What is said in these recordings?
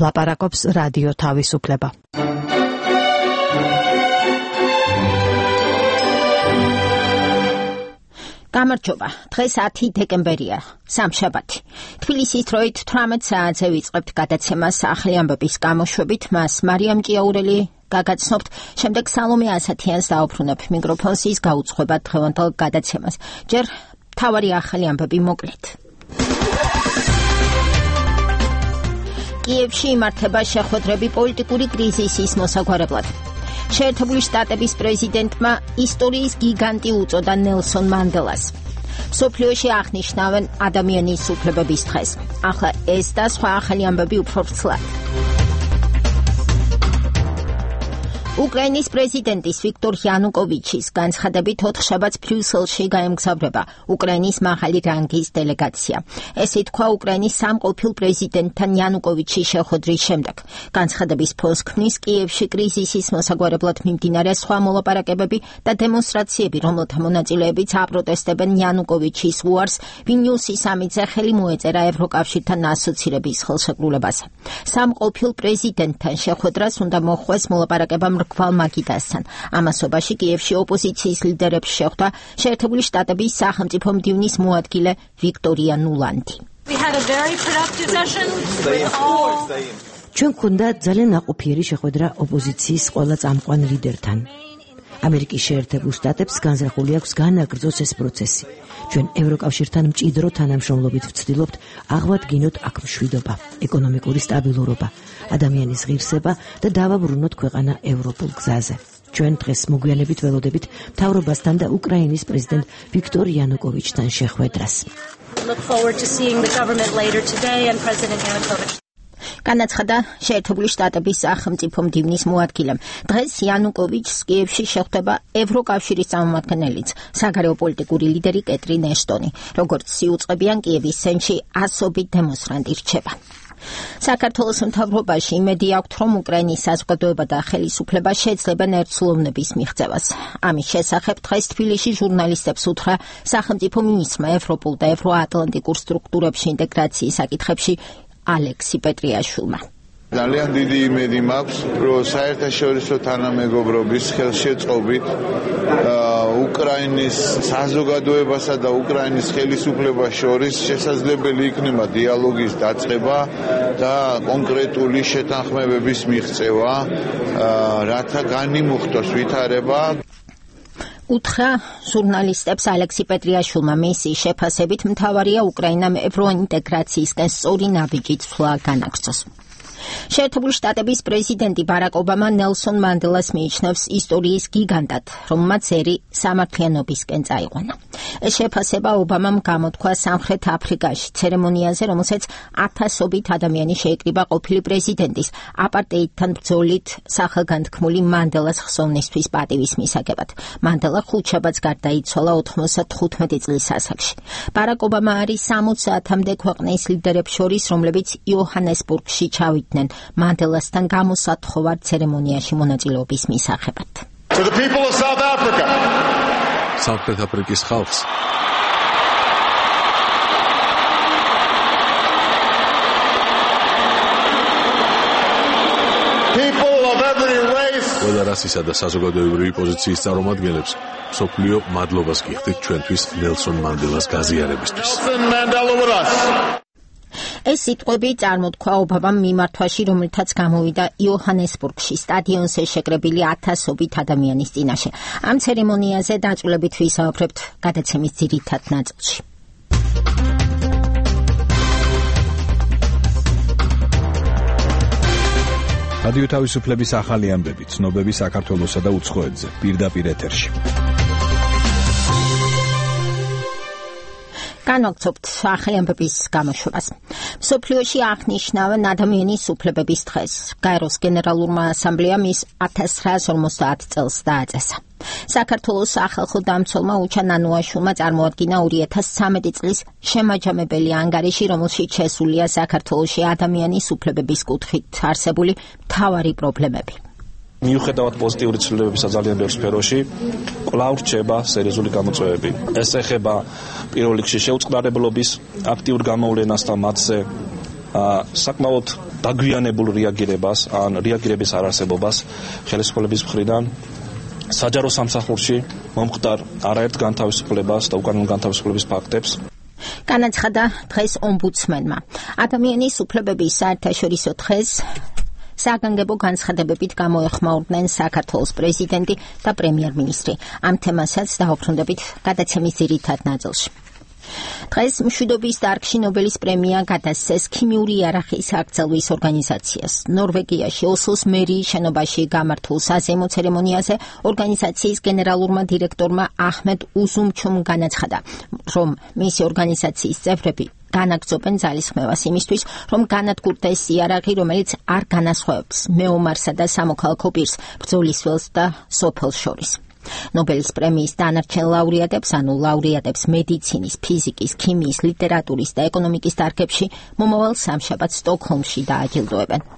ლაპარაკობს რადიო თავისუფლება. გამარჯობა. დღეს 10 დეკემბერია, სამშაბათი. თბილისის დროით 18 საათზე ვიწყებთ გადაცემას ახალი ამბების გამოშვებით. მას მარიამ ჭიაურელი გაგაცნობთ, შემდეგ სალომე ასათიანს დაუბრუნებ მიკროფონს ის გაუძღვება დღევანდელ გადაცემას. ჯერ მთავარი ახალი ამბები მოკლედ. კიევში იმართება შეხვედრები პოლიტიკური კრიზისის მოსაგვარებლად. შეერთებული შტატების პრეზიდენტმა ისტორიის გიგანტი უწოდა ნელსონ მანდელას. მსოფლიოში აღნიშნავენ ადამიანის უფლებების დღეს. ახლა ეს და სხვა ახალი ამბები უფრო ვრცლად. უკრაინის პრეზიდენტის ვიქტორ იანუკოვიჩის განცხადებით 4 შაბათს ბრიუსელში გაემგზავრება უკრაინის მაღალი რანგის დელეგაცია. ესე თქვა უკრაინის სამყოფილ პრეზიდენტთან იანუკოვიჩის შეხვედრის შემდეგ. განცხადების ფონს ქმნის კიევში კრიზისის მოსაგვარებლად მიმდინარე სხვა მოლაპარაკებები და დემონსტრაციები, რომელთა მონაწილეებიც აპროტესტებენ იანუკოვიჩის უარს ვილნიუსის სამიტზე ხელი მოეწერა ევროკავშირთან ასოცირების ხელშეკრულებაზე. სამყოფილ პრეზიდენტთან შეხვედრას უნდა მოხვდეს მოლაპარაკება მრგვალ მაგიდასთან. ამასობაში კიევში ოპოზიციის ლიდერებს შეხვდა შეერთებული შტატების სახელმწიფო მდივნის მოადგილე ვიქტორია ნულანდი. ჩვენ გვქონდა ძალიან ნაყოფიერი შეხვედრა ოპოზიციის ყველა წამყვან ლიდერთან. ამერიკის შეერთებულ შტატებს განზრახული აქვს განაგრძოს ეს პროცესი. ჩვენ ევროკავშირთან მჭიდრო თანამშრომლობით ვცდილობთ აღვადგინოთ აქ მშვიდობა, ეკონომიკური სტაბილურობა, ადამიანის ღირსება და დავაბრუნოთ ქვეყანა ევროპულ გზაზე. ჩვენ დღეს მოგვიანებით ველოდებით მთავრობასთან და უკრაინის პრეზიდენტ ვიქტორ იანუკოვიჩთან შეხვედრას. განაცხადა შეერთებული შტატების სახელმწიფო მდივნის მოადგილემ. დღეს იანუკოვიჩს კიევში შეხვდება ევროკავშირის წარმომადგენელიც, საგარეო პოლიტიკური ლიდერი კეტრინ ეშტონი. როგორც იუწყებიან, კიევის ცენტრში ასობით დემონსტრანტი რჩება. საქართველოს მთავრობაში იმედი აქვთ, რომ უკრაინის საზოგადოება და ხელისუფლება შეძლებენ ერთსულოვნების მიღწევას. ამის შესახებ დღეს თბილისში ჟურნალისტებს უთხრა სახელმწიფო მინისტრმა ევროპულ და ევროატლანტიკურ სტრუქტურებში ინტეგრაციის საკითხებში ალექსი პეტრიაშვილმა. ძალიან დიდი იმედი მაქვს, რომ საერთაშორისო თანამეგობრობის ხელშეწყობით უკრაინის საზოგადოებასა და უკრაინის ხელისუფლებას შორის შესაძლებელი იქნება დიალოგის დაწყება და კონკრეტული შეთანხმებების მიღწევა, რათა განიმუხტოს ვითარება. უთხრა ჟურნალისტებს ალექსი პეტრიაშვილმა. მისი შეფასებით მთავარია უკრაინამ ევროინტეგრაციისკენ სწორი ნაბიჯით სვლა განაგრძოს. შეერთებული შტატების პრეზიდენტი ბარაკ ობამა ნელსონ მანდელას მიიჩნევს ისტორიის გიგანტად, რომელმაც ერი სამართლიანობისკენ წაიყვანა. ეს შეფასება ობამამ გამოთქვა სამხრეთ აფრიკაში ცერემონიაზე, რომელსაც ათასობით ადამიანი შეიკრიბა ყოფილი პრეზიდენტის აპარტეიდთან ბრძოლით სახელგანთქმული მანდელას ხსოვნისთვის პატივის მისაგებად. მანდელა 5 შაბათს გარდაიცვალა 95 წლის ასაკში. ბარაკ ობამა არის 60-მდე ქვეყნის ლიდერებს შორის, რომლებიც იოჰანესბურგში ჩავიდნენ მანდელასთან გამოსათხოვარ ცერემონიაში მონაწილეობის მისაღებად. სამხრეთ აფრიკის ხალხს ყველა რასისა და საზოგადოებრივი პოზიციის წარმომადგენლებს მსოფლიო მადლობას გიხდით ჩვენთვის ნელსონ მანდელას გაზიარებისთვის. ეს სიტყვები წარმოთქვა ობამამ მიმართვაში, რომელთაც გამოვიდა იოჰანესბურგში სტადიონზე შეკრებილი ათასობით ადამიანის წინაშე. ამ ცერემონიაზე დაწვრილებით ვისაუბრებთ გადაცემის ძირითად ნაწილში. რადიო თავისუფლების ახალი ამბები, ცნობები საქართველოსა და უცხოეთზე, პირდაპირ ეთერში. განვაგრძობთ ახალი ამბების გამოშვებას. მსოფლიოში აღნიშნავენ ადამიანის უფლებების დღეს. გაეროს გენერალურმა ასამბლეამ ის 1950 წელს დააწესა. საქართველოს სახალხო დამცველმა უჩა ნანუაშვილმა წარმოადგინა 2013 წლის შემაჯამებელი ანგარიში, რომელშიც შესულია საქართველოში ადამიანის უფლებების კუთხით არსებული მთავარი პრობლემები. მიუხედავად პოზიტიური ცვლილებებისა ძალიან ბევრ სფეროში, კვლავ რჩება სერიოზული გამოწვევები. ეს ეხება პირველ რიგში შეუწყნარებლობის აქტიურ გამოვლენას და მათზე საკმაოდ დაგვიანებულ რეაგირებას ან რეაგირების არარსებობას ხელისუფლების მხრიდან საჯარო სამსახურში მომხდარ არაერთ განთავისუფლებას და უკანონო განთავისუფლების ფაქტებს განაცხადა დღეს ომბუდსმენმა. ადამიანის უფლებების საერთაშორისო დღეს საგანგებო განცხადებებით გამოეხმაურდნენ საქართველოს პრეზიდენტი და პრემიერ-მინისტრი. ამ თემასაც დაუბრუნდებით გადაცემის ძირითად ნაწილში. დღეს მშვიდობის დარგში ნობელის პრემია გადასცეს ქიმიური იარაღის აკრძალვის ორგანიზაციას. ნორვეგიაში ოსლოს მერიის შენობაში გამართულ საზეიმო ცერემონიაზე ორგანიზაციის გენერალურმა დირექტორმა აჰმედ უზუმჩუმ განაცხადა, რომ მისი ორგანიზაციის წევრები განაგრძობენ ძალისხმევას იმისთვის, რომ განადგურდეს იარაღი, რომელიც არ განასხვავებს მეომარსა და სამოქალაქო პირს, ბრძოლის ველს და სოფელს შორის. ნობელის პრემიის დანარჩენ ლაურეატებს, ანუ ლაურეატებს მედიცინის, ფიზიკის, ქიმიის, ლიტერატურის და ეკონომიკის დარგებში მომავალ სამშაბათს სტოკჰოლმში დააჯილდოებენ.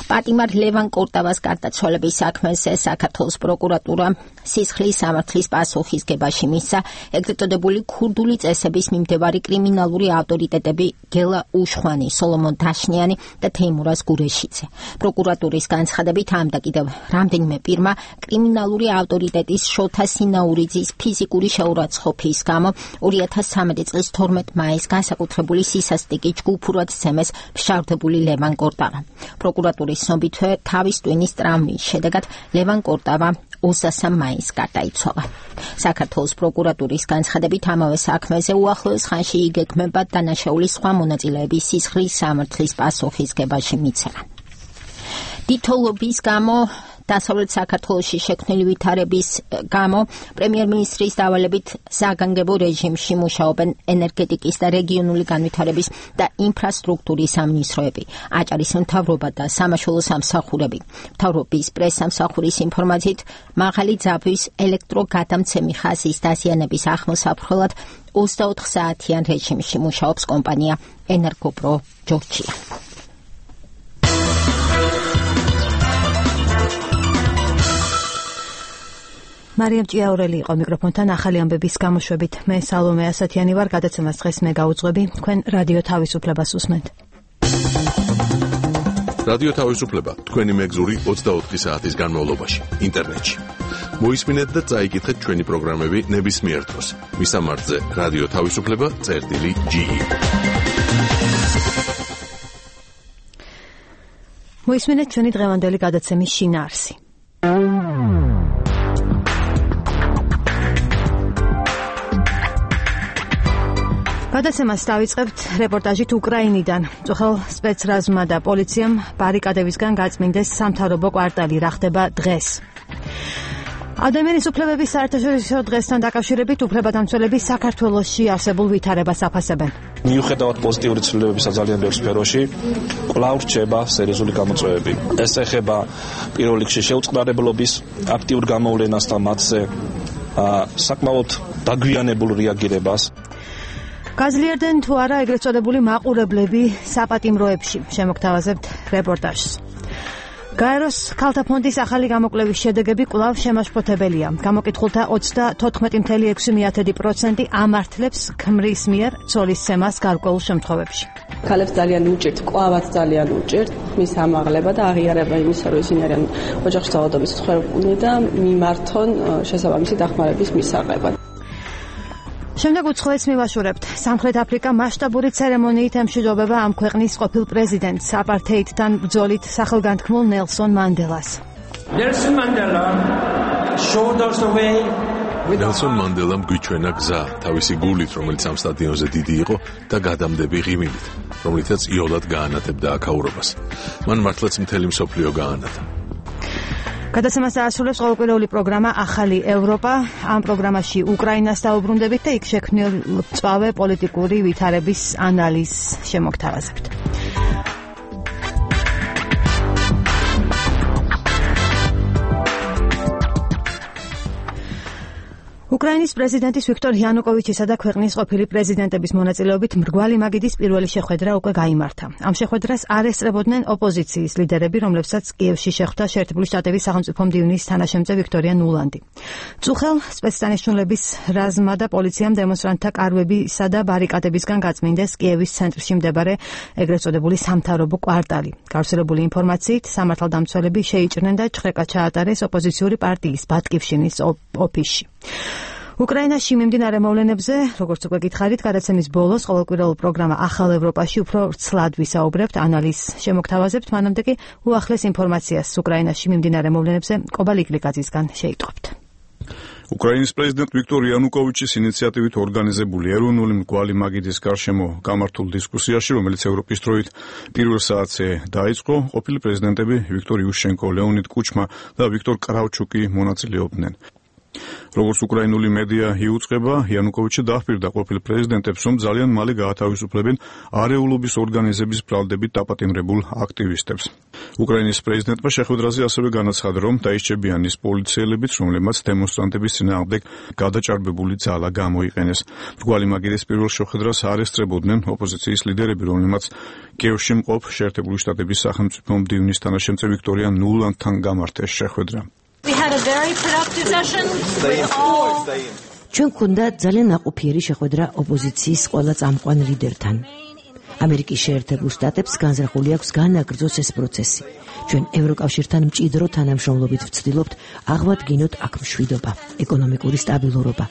პატიმარ ლევან კორტავას გარდაცვალების საქმეზე საქართველოს პროკურატურა სისხლის სამართლის პასუხისგებაში მისცა ეგრეთ წოდებული ქურდული წესების მიმდევარი კრიმინალური ავტორიტეტები გელა უშხვანი, სოლომონ დაშნიანი და თეიმურაზ გურეშიძე. პროკურატურის განცხადებით ამ და კიდევ რამდენიმე პირმა კრიმინალური ავტორიტეტის შოთა სინაურიძის ფიზიკური შეურაცხყოფის გამო 2013 წლის 12 მაისს განსაკუთრებული სისასტიკი ჯგუფურად სცემეს მშავდებული ლევან კორტავა. პროკურატურის ცნობითვე თავის ტვინის ტრამვის შედეგად ლევან კორტავა 23 მაისს გარდაიცვალა. საქართველოს პროკურატურის განცხადებით ამავე საქმეზე უახლოეს ხანში იგეგმება დანაშაულის სხვა მონაწილეების სისხლის სამართლის პასუხისგებაში მიცემა. დიდთოვლობის გამო დასავლეთ საქართველოში შექმნილი ვითარების გამო პრემიერ-მინისტრის დავალებით საგანგებო რეჟიმში მუშაობენ ენერგეტიკის და რეგიონული განვითარების და ინფრასტრუქტურის სამინისტროები, აჭარის მთავრობა და სამაშველო სამსახურები. მთავრობის პრესსამსახურის ინფორმაციით, მაღალი ძაბვის ელექტროგადამცემი ხაზის დაზიანების ახმოსაფრთხელად 24 საათიან რეჟიმში მუშაობს კომპანია ენერგოპრო ჯორჯია. მარიამ ჭიაურელი იყო მიკროფონთან ახალი ამბების გამოშვებით. მე სალომე ასათიანი ვარ, გადაცემას დღეს მე გაუძღვები. თქვენ რადიო თავისუფლებას უსმენთ. რადიო თავისუფლება თქვენი მეგზური 24 საათის განმავლობაში ინტერნეტში. მოისმინეთ და წაიკითხეთ ჩვენი პროგრამები ნებისმიერ დროს. მისამართზე რადიო თავისუფლება.ge. მოისმინეთ ჩვენი დღევანდელი გადაცემის შინაარსი. გადაცემას დავიწყებთ რეპორტაჟით უკრაინიდან. წუხელ სპეცრაზმა და პოლიციამ ბარიკადებისგან გაწმინდეს სამთავრობო კვარტალი. რა ხდება დღეს? ადამიანის უფლებების საერთაშორისო დღესთან დაკავშირებით უფლებადამცველები საქართველოში არსებულ ვითარებას აფასებენ. მიუხედავად პოზიტიური ცვლილებებისა ძალიან ბევრ სფეროში, კვლავ რჩება სერიოზული გამოწვევები. ეს ეხება პირველ რიგში შეუწყნარებლობის აქტიურ გამოვლენას და მათზე საკმაოდ დაგვიანებულ რეაგირებას. გაზლიარდნენ თუ არა ეგრეთ წოდებული მაყურებლები საპატიმროებში. შემოგთავაზებთ რეპორტაჟს. გაეროს ქალთა ფონდის ახალი გამოკვლევის შედეგები კვლავ შემაშფოთებელია. გამოკითხულთა 34.6% ამართლებს ქმრის მიერ ცოლისცემას გარკვეულ შემთხვევებში. ქალებს ძალიან უჭირთ, კვლავაც ძალიან უჭირთ მის ამაღლება და აღიარება იმისა, რომ ისინი არიან ოჯახში ძალადობის მსხვერპლი და მიმართონ შესაბამისი დახმარების მისაღებად. შემდეგ უცხოეთს მივაშურებთ. სამხრეთ აფრიკა მასშტაბური ცერემონიით ემშვიდობება ამ ქვეყნის ყოფილ პრეზიდენტს, აპართეიდთან ბრძოლით სახელგანთქმულ ნელსონ მანდელას. ნელსონ მანდელამ გვიჩვენა გზა თავისი გულით, რომელიც ამ სტადიონზე დიდი იყო და გადამდები ღიმილით, რომლითაც იოლად გაანათებდა აქაურობას. მან მართლაც მთელი მსოფლიო გაანათა. გადაცემას აასრულებს ყოველკვირეული პროგრამა ახალი ევროპა. ამ პროგრამაში უკრაინას დაუბრუნდებით და იქ შექმნილ მწვავე პოლიტიკური ვითარების ანალიზს შემოგთავაზებთ. უკრაინის პრეზიდენტის ვიქტორ იანუკოვიჩისა და ქვეყნის ყოფილი პრეზიდენტების მონაწილეობით მრგვალი მაგიდის პირველი შეხვედრა უკვე გაიმართა. ამ შეხვედრას არ ესწრებოდნენ ოპოზიციის ლიდერები, რომლებსაც კიევში შეხვდა შეერთებული შტატების სახელმწიფო მდივნის თანაშემწე ვიქტორია ნულანდი. წუხელ სპეცსანიშნულების რაზმმა და პოლიციამ დემონსტრანტთა კარვებისა და ბარიკადებისგან გაწმინდეს კიევის ცენტრში მდებარე ეგრეთ წოდებული სამთავრობო კვარტალი. გავრცელებული ინფორმაციით, სამართალდამცველები შეიჭრნენ და ჩხრეკა ჩაატარეს ოპოზიციური პარტიის ბატკივშინის ოფისში. უკრაინაში მიმდინარე მოვლენებზე, როგორც უკვე გითხარით, გადაცემის ბოლოს ყოველკვირეულ პროგრამა ახალ ევროპაში უფრო ვრცლად ვისაუბრებთ, ანალიზს შემოგთავაზებთ, მანამდე კი უახლეს ინფორმაციას უკრაინაში მიმდინარე მოვლენებზე კობა ლიკლიკაძისგან შეიტყობთ. უკრაინის პრეზიდენტ ვიქტორ იანუკოვიჩის ინიციატივით ორგანიზებული ეროვნული მრგვალი მაგიდის გარშემო გამართულ დისკუსიაში, რომელიც ევროპის დროით პირველ საათზე დაიწყო, ყოფილი პრეზიდენტები ვიქტორ იუშენკო, ლეონიდ კუჩმა და ვიქტორ კრავჩუკი მონაწილეობდნენ. როგორც უკრაინული მედია იუწყება, იანუკოვიჩი დაჰპირდა ყოფილ პრეზიდენტებს, რომ ძალიან მალე გაათავისუფლებენ არეულობის ორგანიზების ბრალდებით დაპატიმრებულ აქტივისტებს. უკრაინის პრეზიდენტმა შეხვედრაზე ასევე განაცხადა, რომ დაისჭებიან ის პოლიციელებიც, რომლებმაც დემონსტრანტების წინააღმდეგ გადაჭარბებული ძალა გამოიყენეს. მრგვალი მაგიდის პირველ შეხვედრას არ ესწრებოდნენ ოპოზიციის ლიდერები, რომლებმაც კიევში მყოფ შეერთებული შტატების სახელმწიფო მდივნის თანაშემწე ვიქტორია ნულანდთან გამართეს შეხვედრა. ჩვენ გვქონდა ძალიან ნაყოფიერი შეხვედრა ოპოზიციის ყველა წამყვან ლიდერთან. ამერიკის შეერთებულ შტატებს განზრახული აქვს განაგრძოს ეს პროცესი. ჩვენ ევროკავშირთან მჭიდრო თანამშრომლობით ვცდილობთ აღვადგინოთ აქ მშვიდობა, ეკონომიკური სტაბილურობა,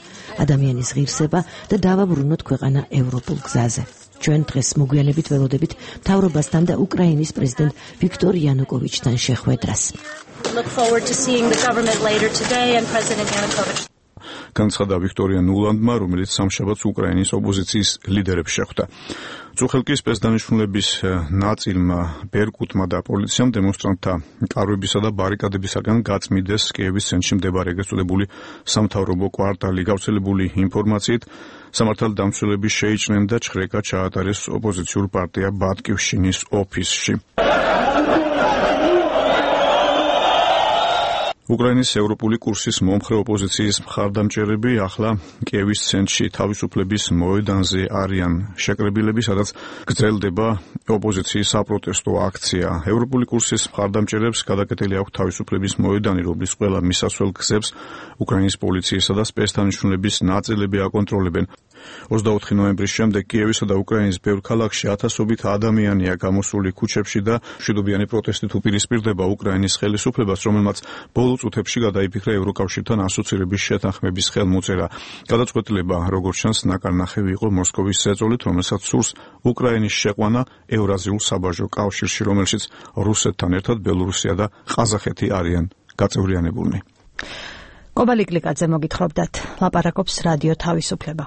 ადამიანის ღირსება და დავაბრუნოთ ქვეყანა ევროპულ გზაზე. ჩვენ დღეს მოგვიანებით ველოდებით მთავრობასთან და უკრაინის პრეზიდენტ ვიქტორ იანუკოვიჩთან შეხვედრას. Look forward to seeing the government later today and President Yanukovych. განცხადა ვიქტორია ნულანდმა, რომელიც სამშაბათს უკრაინის ოპოზიციის ლიდერებს შეხვდა. წუხელკი სპეცსანიშნულების ნაწილმა, ბერკუტმა და პოლიციამ დემონსტრანტთა კარვებისა და ბარიკადებისაგან გაწმიდეს კიევის ცენტრში მდებარე ეგრეთ წოდებული სამთავრობო კვარტალი. გავრცელებული ინფორმაციით, სამართალდამცველები შეიჭრნენ და ჩხრეკა ჩაატარეს ოპოზიციურ პარტია ბატკივშინის ოფისში. უკრაინის ევროპული კურსის მომხრე ოპოზიციის მხარდამჭერები ახლა კიევის ცენტრში თავისუფლების მოედანზე არიან შეკრებილები, სადაც გრძელდება ოპოზიციის საპროტესტო აქცია. ევროპული კურსის მხარდამჭერებს გადაკეტილი აქვს თავისუფლების მოედანი, რომლის ყველა მისასვლელ გზებს უკრაინის პოლიციისა და სპეცსანიშნულების ნაწილები აკონტროლებენ. 24 ნოემბრის შემდეგ კიევისა და უკრაინის ბევრ ქალაქში ათასობით ადამიანია გამოსული ქუჩებში და მშვიდობიანი პროტესტით უპირისპირდება უკრაინის ხელისუფლებას, რომელმაც ბოლო წუთებში გადაიფიქრა ევროკავშირთან ასოცირების შეთანხმების ხელმოწერა. გადაწყვეტილება, როგორც ჩანს, ნაკარნახევი იყო მოსკოვის ზეწოლით, რომელსაც სურს უკრაინის შეყვანა ევრაზიულ საბაჟო კავშირში, რომელშიც რუსეთთან ერთად ბელორუსია და ყაზახეთი არიან გაწევრიანებულნი. კობა ლიკლიკაძე მოგითხრობდათ, ლაპარაკობს რადიო თავისუფლება.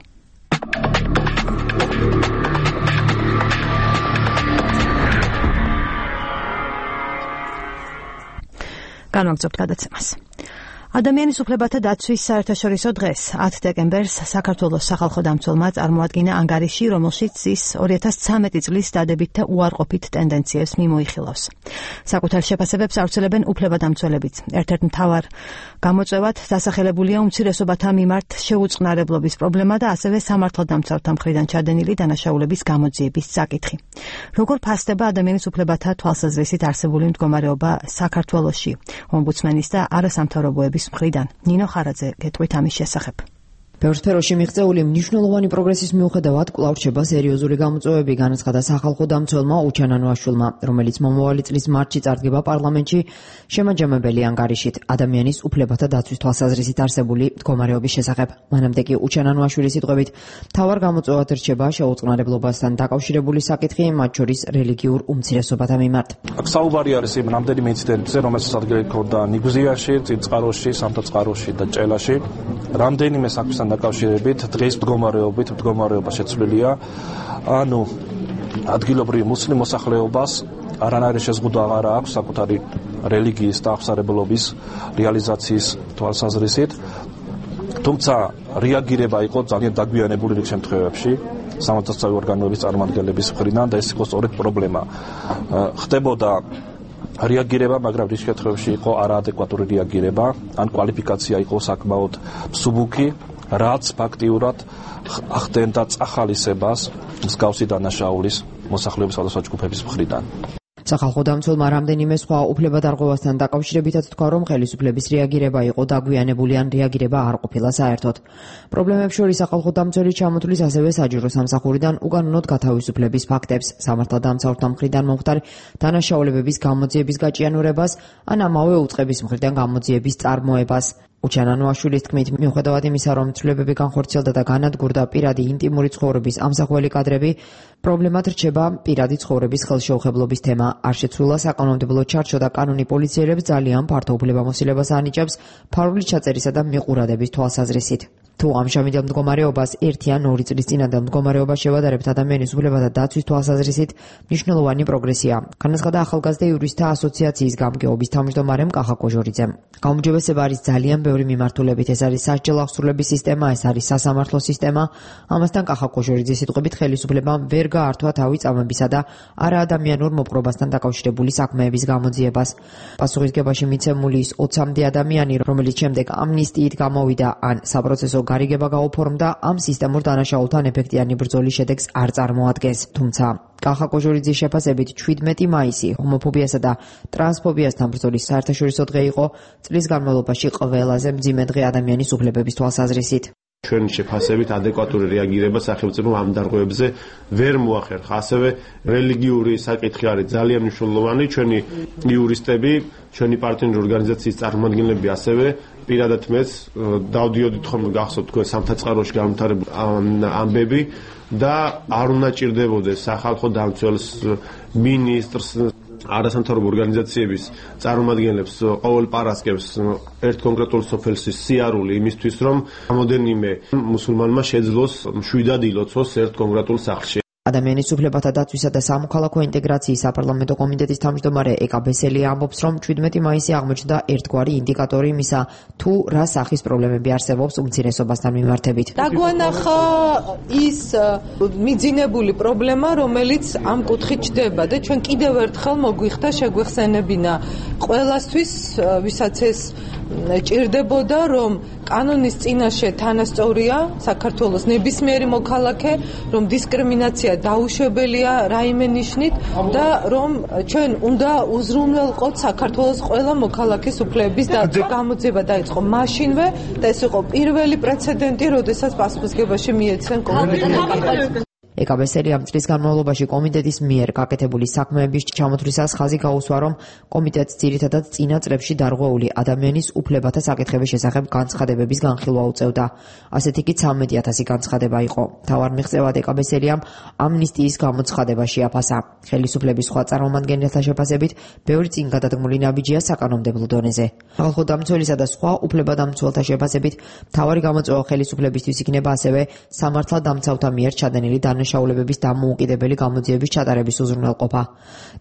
განვაგრძობთ გადაცემას. ადამიანის უფლებათა დაცვის საერთაშორისო დღეს 10 დეკემბერს საქართველოს სახალხო დამცველმა წარმოადგინა ანგარიში, რომელშიც ის 2013 წლის დადებითი და უარყოფით ტენდენციებს მიმოიხილავს. საკუთარ შეფასებებს ავრცელებენ უფლებადამცველებიც. ერთ-ერთ მთავარ გამოწვევად დასახელებულია უმცირესობათა მიმართ შეუწყნარებლობის პრობლემა და ასევე სამართალდამცავთა მხრიდან ჩადენილი დანაშაულების გამოძიების საკითხი. როგორ ფასდება ადამიანის უფლებათა თვალსაზრისით არსებული მდგომარეობა საქართველოში? ომბუდსმენის და არასამთავრობოების მხრიდან ნინო ხარაძე გეტყვით ამის შესახებ. ბევრ სფეროში მიღწეული მნიშვნელოვანი პროგრესის მიუხედავად კვლავ რჩება სერიოზული გამოწვევები, განაცხადა სახალხო დამცველმა უჩანან ვაშვილმა, რომელიც მომავალი წლის მარტში წარდგება პარლამენტში შემაჯამებელი ანგარიშით ადამიანის უფლებათა დაცვის თვალსაზრისით არსებული მდგომარეობის შესახებ. მანამდე კი უჩანან ვაშვილის სიტყვებით, მთავარ გამოწვევად რჩება შეუწყნარებლობასთან დაკავშირებული საკითხი, მათ შორის რელიგიურ უმცირესობათა მიმართ. აქ საუბარი არის იმ რამდენიმე ინციდენტებზე, რომელსაც ადგილი ჰქონდა ნიგზიაში, წინწყაროში, სამთაწყაროში და ჭელაში. რამდენიმე საქმესთან დაკავშირებით დღეს მდგომარეობა შეცვლილია. ანუ ადგილობრივ მუსლიმ მოსახლეობას არანაირი შეზღუდვა აღარ აქვს საკუთარი რელიგიის და აღმსარებლობის რეალიზაციის თვალსაზრისით. თუმცა რეაგირება იყო ძალიან დაგვიანებული რიგ შემთხვევებში სამართალდამცავი ორგანოების წარმომადგენლების მხრიდან და ეს იყო სწორედ პრობლემა. ხდებოდა რეაგირება, მაგრამ რიგ შემთხვევებში იყო არაადეკვატური რეაგირება, ან კვალიფიკაცია იყო საკმაოდ მსუბუქი, რაც ფაქტიურად ახდენდა წახალისებას მსგავსი დანაშაულის მოსახლეობის სხვადასხვა ჯგუფების მხრიდან. სახალხო დამცველმა რამდენიმე სხვა უფლებადარღვევასთან დაკავშირებითაც თქვა, რომ ხელისუფლების რეაგირება იყო დაგვიანებული ან რეაგირება არ ყოფილა საერთოდ. პრობლემებს შორის სახალხო დამცველი ჩამოთვლის ასევე საჯარო სამსახურიდან უკანონოდ გათავისუფლების ფაქტებს, სამართალდამცავთა მხრიდან მომხდარ დანაშაულებების გამოძიების გაჭიანურებას ან ამავე უწყების მხრიდან გამოძიების წარმოებას. უჩანანოაშვილის თქმით, მიუხედავად იმისა, რომ ცვლილებები განხორციელდა და განადგურდა პირადი ინტიმური ცხოვრების ამსახველი კადრები, პრობლემად რჩება პირადი ცხოვრების ხელშეუხებლობის თემა. არ შეცვლილა საკანონმდებლო ჩარჩო და კანონი პოლიციელებს ძალიან ფართო უფლებამოსილებას ანიჭებს ფარული ჩაწერისა და მიყურადების თვალსაზრისით. თუ ამჟამინდელ მდგომარეობას 1 ან 2 წლის წინანდელ მდგომარეობას შევადარებთ ადამიანის უფლებათა დაცვის თვალსაზრისით, მნიშვნელოვანი პროგრესია. განაცხადა ახალგაზრდა იურისტთა ასოციაციის გამგეობის თავმჯდომარემ კახა კოჟორიძემ. გაუმჯობესება არის ძალიან ბევრი მიმართულებით, ეს არის სასჯელ აღსრულების სისტემა, ეს არის სასამართლო სისტემა. ამასთან კახა კოჟორიძის სიტყვებით ხელისუფლებამ ვერ გაართვა თავი წამებისა და არაადამიანურ მოპყრობასთან დაკავშირებული საქმეების გამოძიებას. პასუხისგებაში მიცემული ის 20-მდე ადამიანი, რომელიც შემდეგ ამნისტიით გამოვიდა ან საპროცესო გარიგება გაუფორმდა, ამ სისტემურ დანაშაულთან ეფექტიანი ბრძოლის შედეგს არ წარმოადგენს. თუმცა კახა კოჟორიძის შეფასებით 17 მაისი ჰომოფობიასა და ტრანსფობიასთან ბრძოლის საერთაშორისო დღე იყო წლის განმავლობაში ყველაზე მძიმე დღე ადამიანის უფლებების თვალსაზრისით. ჩვენი შეფასებით ადეკვატური რეაგირება სახელმწიფომ ამ დარღვევებზე ვერ მოახერხა. ასევე რელიგიური საკითხი არის ძალიან მნიშვნელოვანი. ჩვენი იურისტები, ჩვენი პარტნიორი ორგანიზაციის წარმომადგენლები ასევე პირადად მეც დავდიოდით ხოლმე გახსოვთ თქვენ სამთაწყაროში განვითარებულ ამბები და არ უნდა ჭირდებოდეს სახალხო დამცველს, მინისტრს, არასამთავრობო ორგანიზაციების წარმომადგენლებს ყოველ პარასკევს ერთ კონკრეტულ სოფელში სიარული იმისთვის, რომ რამოდენიმე მუსულმანმა შეძლოს მშვიდად ილოცოს ერთ კონკრეტულ სახლში. ადამიანის უფლებათა დაცვისა და სამოქალაქო ინტეგრაციის საპარლამენტო კომიტეტის თავმჯდომარე ეკა ბესელი ამბობს, რომ 17 მაისი აღმოჩნდა ერთგვარი ინდიკატორი იმისა, თუ რა სახის პრობლემები არსებობს უმცირესობასთან მიმართებით. დაგვანახა ის მიძინებული პრობლემა, რომელიც ამ კუთხით ჩდება და ჩვენ კიდევ ერთხელ მოგვიხდა შეგვეხსენებინა ყველასთვის, ვისაც ეს ჭირდებოდა, რომ კანონის წინაშე თანასწორია საქართველოს ნებისმიერი მოქალაქე, რომ დისკრიმინაცია დაუშვებელია რაიმე ნიშნით და რომ ჩვენ უნდა უზრუნველყოთ საქართველოს ყველა მოქალაქის უფლებების გამოძიება დაიწყო მაშინვე და ეს იყო პირველი პრეცედენტი, როდესაც პასუხისგებაში მიეცენ კონკრეტულად. ეკა ბესელი ამ წლის განმავლობაში კომიტეტის მიერ გაკეთებული საქმეების ჩამოთვლისას ხაზი გაუსვა, რომ კომიტეტს ძირითადად წინა წლებში დარღვეული ადამიანის უფლებათა საკითხების შესახებ განცხადებების განხილვა უწევდა. ასეთი კი 13,000 განცხადება იყო. მთავარ მიღწევად ეკა ბესელიამ ამნისტიის გამოცხადება შეაფასა. ხელისუფლების სხვა წარმომადგენელთა შეფასებით, ბევრი წინ გადადგმული ნაბიჯია საკანონმდებლო დონეზე. ხალხო დამცველისა და სხვა უფლებადამცველთა შეფასებით, მთავარი გამოწვევა ხელისუფლებისთვის იქნება ასევე სამართალდამცავთა მიერ ჩადენილი დანაშაულებების დამოუკიდებელი გამოძიების ჩატარების უზრუნველყოფა.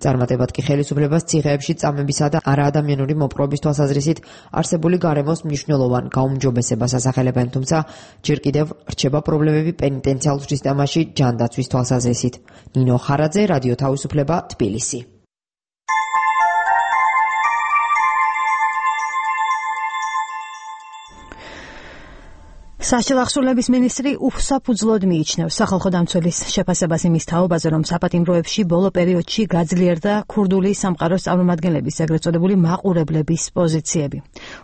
წარმატებად კი ხელისუფლებას ციხეებში წამებისა და არაადამიანური მოპყრობის თვალსაზრისით არსებული გარემოს მნიშვნელოვან გაუმჯობესებას ასახელებენ, თუმცა ჯერ კიდევ რჩება პრობლემები პენიტენციალურ სისტემაში ჯანდაცვის თვალსაზრისით. ნინო ხარაძე, რადიო თავისუფლება, თბილისი. სასჯელ აღსრულების მინისტრი უსაფუძვლოდ მიიჩნევს სახალხო დამცველის შეფასებას იმის თაობაზე, რომ საპატიმროებში ბოლო პერიოდში გაძლიერდა ქურდული სამყაროს წარმომადგენლების ეგრეთ წოდებული მაყურებლების პოზიციები.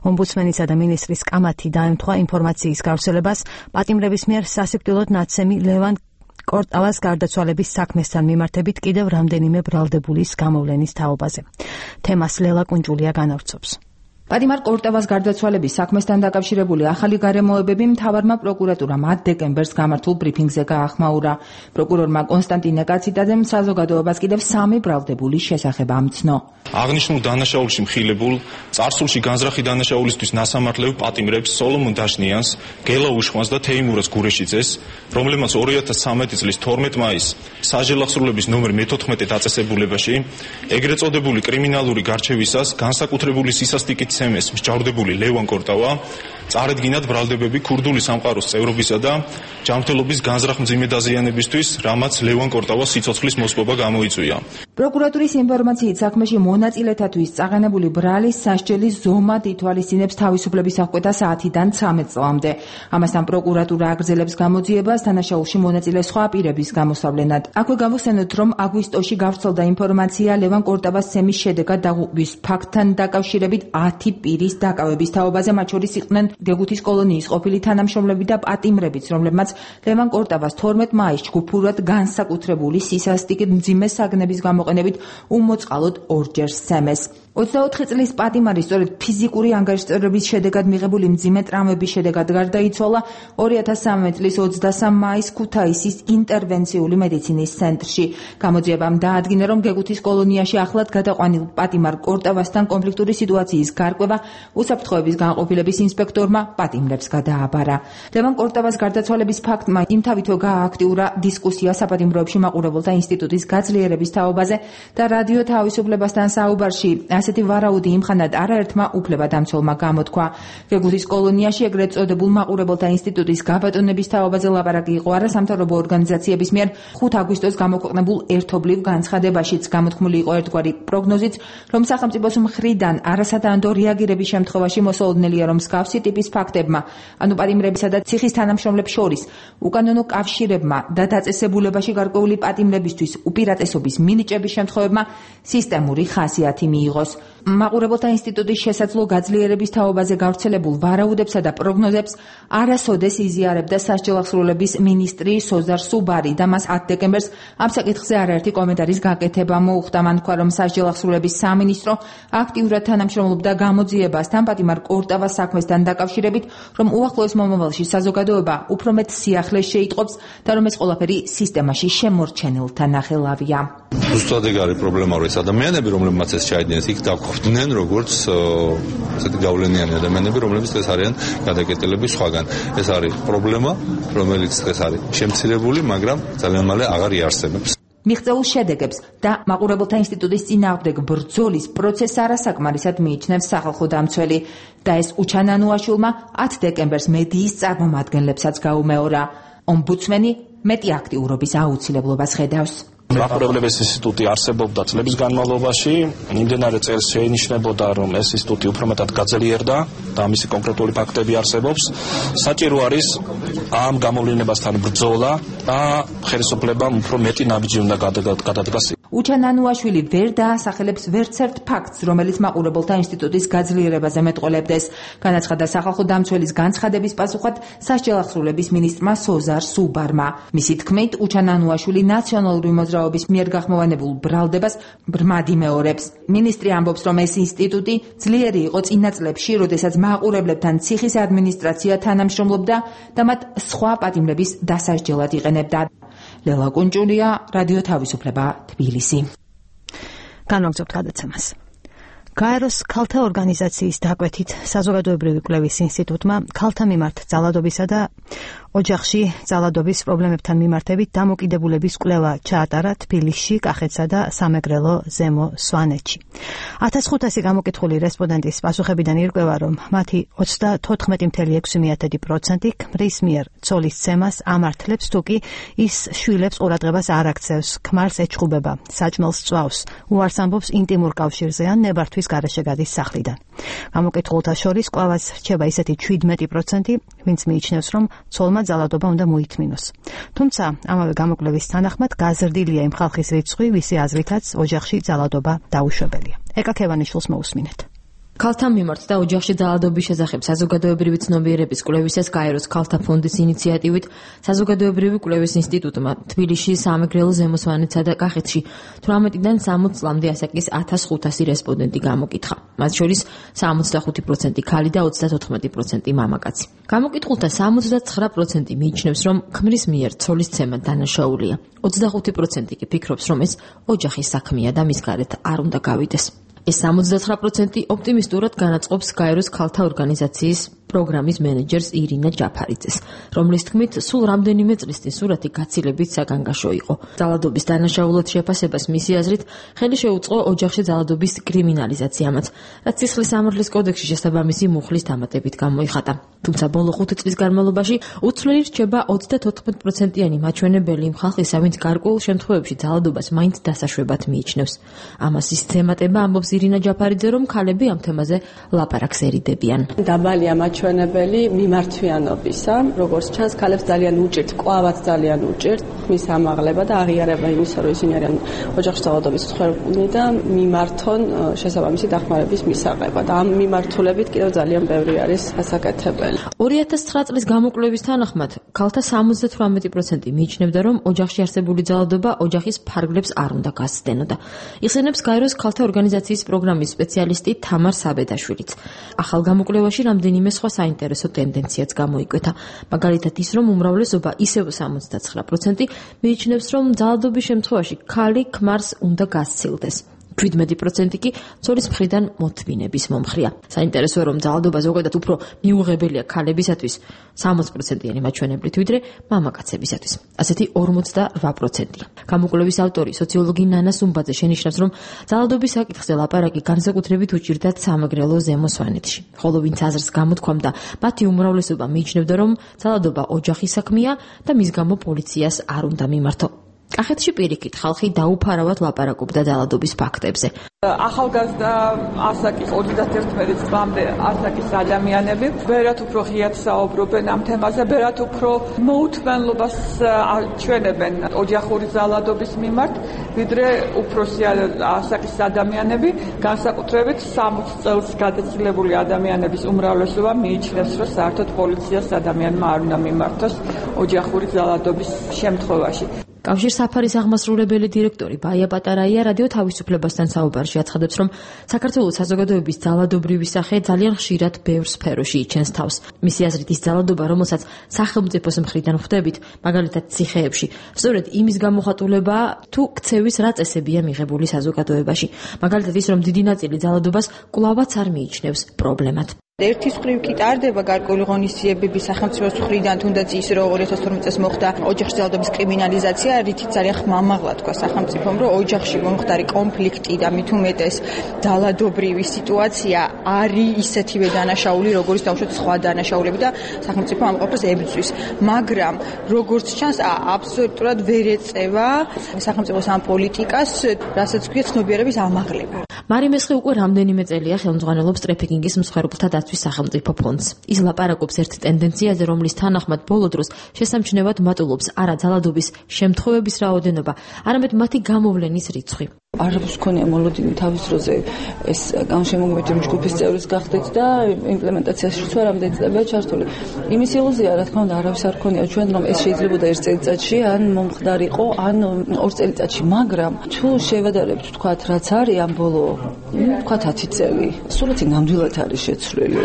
ომბუდსმენისა და მინისტრის კამათი დაემთხვა ინფორმაციის გავრცელებას პატიმრების მიერ სასიკვდილოდ ნაცემი ლევან კორტავას გარდაცვალების საქმესთან მიმართებით კიდევ რამდენიმე ბრალდებულის გამოვლენის თაობაზე. თემას ლელა კუნჯულია განავრცობს. პატიმარ კორტავას გარდაცვალების საქმესთან დაკავშირებული ახალი გარემოებები მთავარმა პროკურატურამ 10 დეკემბერს გამართულ ბრიფინგზე გაახმაურა. პროკურორმა კონსტანტინე კაციტაძემ საზოგადოებას კიდევ 3 ბრალდებულის შესახებ ამცნო. აღნიშნულ დანაშაულში მხილებულ, წარსულში განზრახი დანაშაულისთვის ნასამართლებ პატიმრებს სოლომონ დაშნიანს, გელა უშხვანს და თეიმურაზ გურეშიძეს, რომლებმაც 2013 წლის 12 მაისს სასჯელ აღსრულების ნომერ 14 დაწესებულებაში ეგრეთ წოდებული კრიმინალური გარჩევისას განსაკუთრებული სისასტიკით ცემეს მსჯავრდებული ლევან კორტავა წარედგინათ ბრალდებები ქურდული სამყაროს წევრობისა და ჯანმრთელობის განზრახ მძიმე დაზიანებისთვის, რამაც ლევან კორტავას სიცოცხლის მოსპობა გამოიწვია. პროკურატურის ინფორმაციით საქმეში მონაწილეთათვის წაღენებული ბრალის სასჯელი ზომად ითვალისწინებს თავისუფლების აღკვეთა საათიდან 13 წლამდე. ამასთან პროკურატურა აგრძელებს გამოძიებას დანაშაულში მონაწილე სხვა პირების გამოსავლენად. აქვე გამოსცენოთ, რომ აგვისტოში გავრცელდა ინფორმაცია ლევან კორტავას ცემის შედეგად დაღუპვის ფაქტთან დაკავშირებით 10 პირის დაკავების თაობაზე, მათ შორის იყვნენ გეგუთის კოლონიის ყოფილი თანამშრომლები და პატიმრებიც, რომლებმაც ლევან კორტავას 12 მაისს ჯგუფურად განსაკუთრებული სისასტიკით მძიმე საგნების გამოყენებით უმოწყალოდ ორჯერ სცემეს. 24 წლის პატიმარი სწორედ ფიზიკური ანგარიშწერების შედეგად მიღებული მძიმე ტრამვების შედეგად გარდაიცვალა 2013 წლის 23 მაისს ქუთაისის ინტერვენციული მედიცინის ცენტრში. გამოძიებამ დაადგინა, რომ გეგუთის კოლონიაში ახლად გადაყვანილ პატიმარ კორტავასთან კონფლიქტური სიტუაციის გარკვევა უსაფრთხოების განყოფილების ინსპექტორმა პატიმრებს გადააბარა. ლევან კორტავას გარდაცვალების ფაქტმა იმთავითო გაააქტიურა დისკუსია საპატიმროებში მაყურებელთა ინსტიტუტის გაძლიერების თაობაზე და რადიო თავისუფლებასთან საუბარში ასეთი ვარაუდი იმხანად არაერთმა უფლებადამცველმა გამოთქვა. გეგუთის კოლონიაში ეგრეთ წოდებულ მაყურებელთა ინსტიტუტის გაბატონების თაობაზე ლაპარაკი იყო არასამთავრობო ორგანიზაციების მიერ 5 აგვისტოს გამოქვეყნებულ ერთობლივ განცხადებაშიც. გამოთქმული იყო ერთგვარი პროგნოზიც, რომ სახელმწიფოს მხრიდან არასათანადო რეაგირების შემთხვევაში მოსალოდნელია, რომ მსგავსი ტიპის ფაქტებმა, ანუ პატიმრებისა და ციხის თანამშრომლებს შორის უკანონო კავშირებმა და დაწესებულებაში გარკვეული პატიმრებისთვის უპირატესობის მინიჭების შემთხვევებმა სისტემური ხასიათი მიიღოს. მაყურებელთა ინსტიტუტის შესაძლო გაძლიერების თაობაზე გავრცელებულ ვარაუდებსა და პროგნოზებს არასოდეს იზიარებდა სასჯელახსრულების მინისტრი სოზარ სუბარი და მას 10 დეკემბერს ამ საკითხზე არაერთი კომენტარის გაკეთება მოუხდა. მან თქვა, რომ სასჯელახსრულების სამინისტრო აქტიურად თანამშრომლობდა გამოძიებასთან პატიმარ კორტავას საქმესთან დაკავშირებით, რომ უახლოეს მომავალში საზოგადოება უფრო მეტ სიახლეს შეიტყობს და რომ ეს ყველაფერი სისტემაში შემორჩენილთა ნახელავია. ზუსტად ეგ არის პრობლემა, რომ ეს ადამიანები, რომლებმაც ეს ჩაიდგინეს, იქ დაგვხვდნენ როგორც ესეთი გავლენიანი ადამიანები, რომლებიც დღეს არიან გადაკეტილების სხვაგან. ეს არის პრობლემა, რომელიც დღეს არის შემცირებული, მაგრამ ძალიან მალე აღარ იარსებებს. მიღწეულ შედეგებს და მაყურებელთა ინსტიტუტის წინააღმდეგ ბრძოლის პროცესს არასაკმარისად მიიჩნევს სახალხო დამცველი და ეს უჩანანუაშვილმა 10 დეკემბერს მედიის წარმომადგენლებსაც გაუმეორა. ომბუდსმენი მეტი აქტიურობის აუცილებლობას ხედავს. მაყურებლების ინსტიტუტი არსებობდა წლების განმავლობაში, იმდენარე წელს შეინიშნებოდა, რომ ეს ინსტიტუტი უფრო მეტად გაძლიერდა და მისი კონკრეტული ფაქტები არსებობს. საჭირო არის ამ გამოვლენებასთან ბრძოლა და ხელისუფლებამ უფრო მეტი ნაბიჯი უნდა გადადგას. უჩანანუაშვილი ვერ დაასახელებს ვერცერთ ფაქტს, რომელიც მაყურებელთა ინსტიტუტის გაძლიერებაზე მეტყოლებდეს. განაცხადა სახალხო დამცველის განცხადების პასუხად სასჯელახსრულების მინისტრმა სოზარ სუბარმა. მისი თქმით, უჩანანუაშვილი ნაციონალური მოძრაობის მიერ გახმოვანებულ ბრალდებას ბრმად იმეორებს. მინისტრი ამბობს, რომ ეს ინსტიტუტი ძლიერი იყო წინა წლებში, როდესაც მაყურებლებთან ციხის ადმინისტრაცია თანამშრომლობდა და მათ სხვა პატიმრების დასასჯელად იყენებდა. ლელა კუნჭულია, რადიო თავისუფლება, თბილისი. განვაგრძობთ გადაცემას. გაეროს ქალთა ორგანიზაციის დაკვეთით საზოგადოებრივი კვლევის ინსტიტუტმა ქალთა მიმართ ძალადობისა და ოჯახში ძალადობის პრობლემებთან მიმართებით დამოკიდებულების კვლევა ჩაატარა თბილისში, კახეთსა და სამეგრელო ზემო სვანეთში. 1500 გამოკითხული რესპონდენტის პასუხებიდან ირკვევა, რომ მათი 94.6% ქმრის მიერ ცოლის ცემას ამართლებს, თუკი ის შვილებს ყურადღებას არ აქცევს, ქმარს ეჩხუბება, საჭმელს წვავს, უარს ამბობს ინტიმურ კავშირზე ან ნებართვის გარეშე გადის სახლიდან. გამოკითხულთა შორის კვლევას რჩება ისეთი 17%, ვინც მიიჩნევს, რომ ცოლმა ძალადობა უნდა მოითმინოს. თუმცა ამავე გამოკვლევის თანახმად გაზრდილია იმ ხალხის რიცხვი, ვისი აზრითაც ოჯახში ძალადობა დაუშვებელია. ეკა ქევანიშვილს მოусმინეთ. ქალთა მიმართ და ოჯახში ძალადობის შესახებ საზოგადოებრივი ცნობიერების კვლევისას გაეროს ქალთა ფონდის ინიციატივით საზოგადოებრივი კვლევის ინსტიტუტმა თბილისში, სამეგრელო ზემო სვანეთსა და კახეთში 18-დან 60 წლამდე ასაკის 1500 რესპონდენტი გამოკითხა. მათ შორის 65% ქალი და 34% მამაკაცი. გამოკითხულთა 79% მიიჩნევს, რომ ქმრის მიერ ცოლის ცემა დანაშაულია. 25% კი ფიქრობს, რომ ეს ოჯახის საქმეა და მის გარეთ არ უნდა გავიდეს. ეს 79% ოპტიმისტურად განაწყობს გაეროს ქალთა ორგანიზაციის პროგრამის მენეჯერს ირინა ჯაფარიძეს, რომლის თქმით, სულ რამდენიმე წლის წინ სურათი გაცილებით საგანგაშო იყო. ძალადობის დანაშაულად შეფასებას მისი აზრით ხელი შეუწყო ოჯახში ძალადობის კრიმინალიზაციამაც, რაც სისხლის სამართლის კოდექსში შესაბამისი მუხლის დამატებით გამოიხატა. თუმცა ბოლო 5 წლის განმავლობაში უცვლელი რჩება 34%-იანი მაჩვენებელი იმ ხალხისა, ვინც გარკვეულ შემთხვევებში ძალადობას მაინც დასაშვებად მიიჩნევს. ამას ის თემატება ამბობს ირინა ჯაფარიძე, რომ ქალები ამ თემაზე ლაპარაკს ერიდებიან. დაბალია მაჩვენებელი მიმართვიანობისა, როგორც ჩანს, ქალებს ძალიან უჭირთ, კვავად ძალიან უჭირთ მის ამაღლება და აღიარება იმისა, რომ ისინი არიან ოჯახში ძალადობის მსხვერპლნი და მიმართონ შესაბამისი დახმარების მისაღება და ამ მიმართულებით კიდევ ძალიან ბევრი არის გასაკეთებელი. 2009 წლის გამოკვლევის თანახმად, ქალთა 78% მიიჩნევდა, რომ ოჯახში არსებული ძალადობა ოჯახის ფარგლებს არ უნდა გასცდენოდა. იხსენებს გაეროს ქალთა ორგანიზაციის პროგრამის სპეციალისტი თამარ საბედაშვილიც. ახალ გამოკვლევაში რამდენიმე სხვა საინტერესო ტენდენციაც გამოიკვეთა. მაგალითად ის, რომ უმრავლესობა ისევ 79% მიიჩნევს, რომ ძალადობის შემთხვევაში ქალი ქმარს უნდა გასცილდეს. 17% კი ცოლის მხრიდან მოთმინების მომხრია. საინტერესოა, რომ ძალადობა ზოგადად უფრო მიუღებელია ქალებისათვის 60%-იანი მაჩვენებლით, ვიდრე მამაკაცებისათვის. ასეთი 48%-ია. გამოკვლევის ავტორი, სოციოლოგი ნანა სუმბაძე შენიშნავს, რომ ძალადობის საკითხზე ლაპარაკი განსაკუთრებით უჭირდათ სამეგრელო ზემო სვანეთში. ხოლო ვინც აზრს გამოთქვამდა, მათი უმრავლესობა მიიჩნევდა, რომ ძალადობა ოჯახის საქმეა და მის გამო პოლიციას არ უნდა მიმართო. კახეთში პირიქით ხალხი დაუფარავად ლაპარაკობდა ძალადობის ფაქტებზე. ახალგაზრდა ასაკის 31 წლამდე ასაკის ადამიანები ბევრად უფრო ღიად საუბრობენ ამ თემაზე, ბევრად უფრო მოუთმენლობას ჩვენებენ ოჯახური ძალადობის მიმართ, ვიდრე უფროსი ასაკის ადამიანები, განსაკუთრებით 60 წელს გადაცილებული ადამიანების უმრავლესობა მიიჩნევს, რომ საერთოდ პოლიციას ადამიანმა არ უნდა მიმართოს ოჯახური ძალადობის შემთხვევაში. კავშირსაფარის აღმასრულებელი დირექტორი ბაია პატარაია რადიო თავისუფლებასთან საუბარში აცხადებს, რომ საქართველოს საზოგადოების ძალადობრივი სახე ძალიან ხშირად ბევრ სფეროში იჩენს თავს. მისი აზრით ის ძალადობა, რომელსაც სახელმწიფოს მხრიდან ხვდებით, მაგალითად ციხეებში, სწორედ იმის გამოხატულებაა, თუ ქცევის რა წესებია მიღებული საზოგადოებაში. მაგალითად ის, რომ დიდი ნაწილი ძალადობას კვლავაც არ მიიჩნევს პრობლემად. ერთის მხრივ კი ტარდება გარკვეული ღონისძიებები სახელმწიფოს მხრიდან, თუნდაც ის, რომ 2012 წელს მოხდა ოჯახში ძალადობის კრიმინალიზაცია, რითიც ძალიან ხმამაღლა თქვა სახელმწიფომ, რომ ოჯახში მომხდარი კონფლიქტი და მით უმეტეს ძალადობრივი სიტუაცია არის ისეთივე დანაშაული, როგორც დავუშვათ სხვა დანაშაულები და სახელმწიფო ამ ყოფას ებრძვის. მაგრამ როგორც ჩანს, აბსოლუტურად ვერ ეწევა სახელმწიფოს ამ პოლიტიკას, რასაც ქვია ცნობიერების ამაღლება. მარი მესხი უკვე რამდენიმე წელია ხელმძღვანელობს ტრეფიკინგის მსხვერპლთა დაცვის სახელმწიფო ფონდს. ის ლაპარაკობს ერთ ტენდენციაზე, რომლის თანახმად ბოლო დროს შესამჩნევად მატულობს არა ძალადობის შემთხვევების რაოდენობა, არამედ მათი გამოვლენის რიცხვი. არაფერს ქონია მოლოდინი თავის დროზე ეს განშემოგვიმეტი ჯგუფის წევრის გახდით და იმპლემენტაციაშიც ვარამდე წლებია ჩართული. იმის ილუზია, რა თქმა უნდა, არავის არ ქონია ჩვენ, რომ ეს შეიძლებოდა 1 წელიწადში, ან მომხდარიყო, ან 2 წელიწადში, მაგრამ თუ შევადარებთ, თქვათ, რაც არის ამ ბოლო, თქვათ 10 წელი, სულაც ნამდვილად არის შეცვლილი.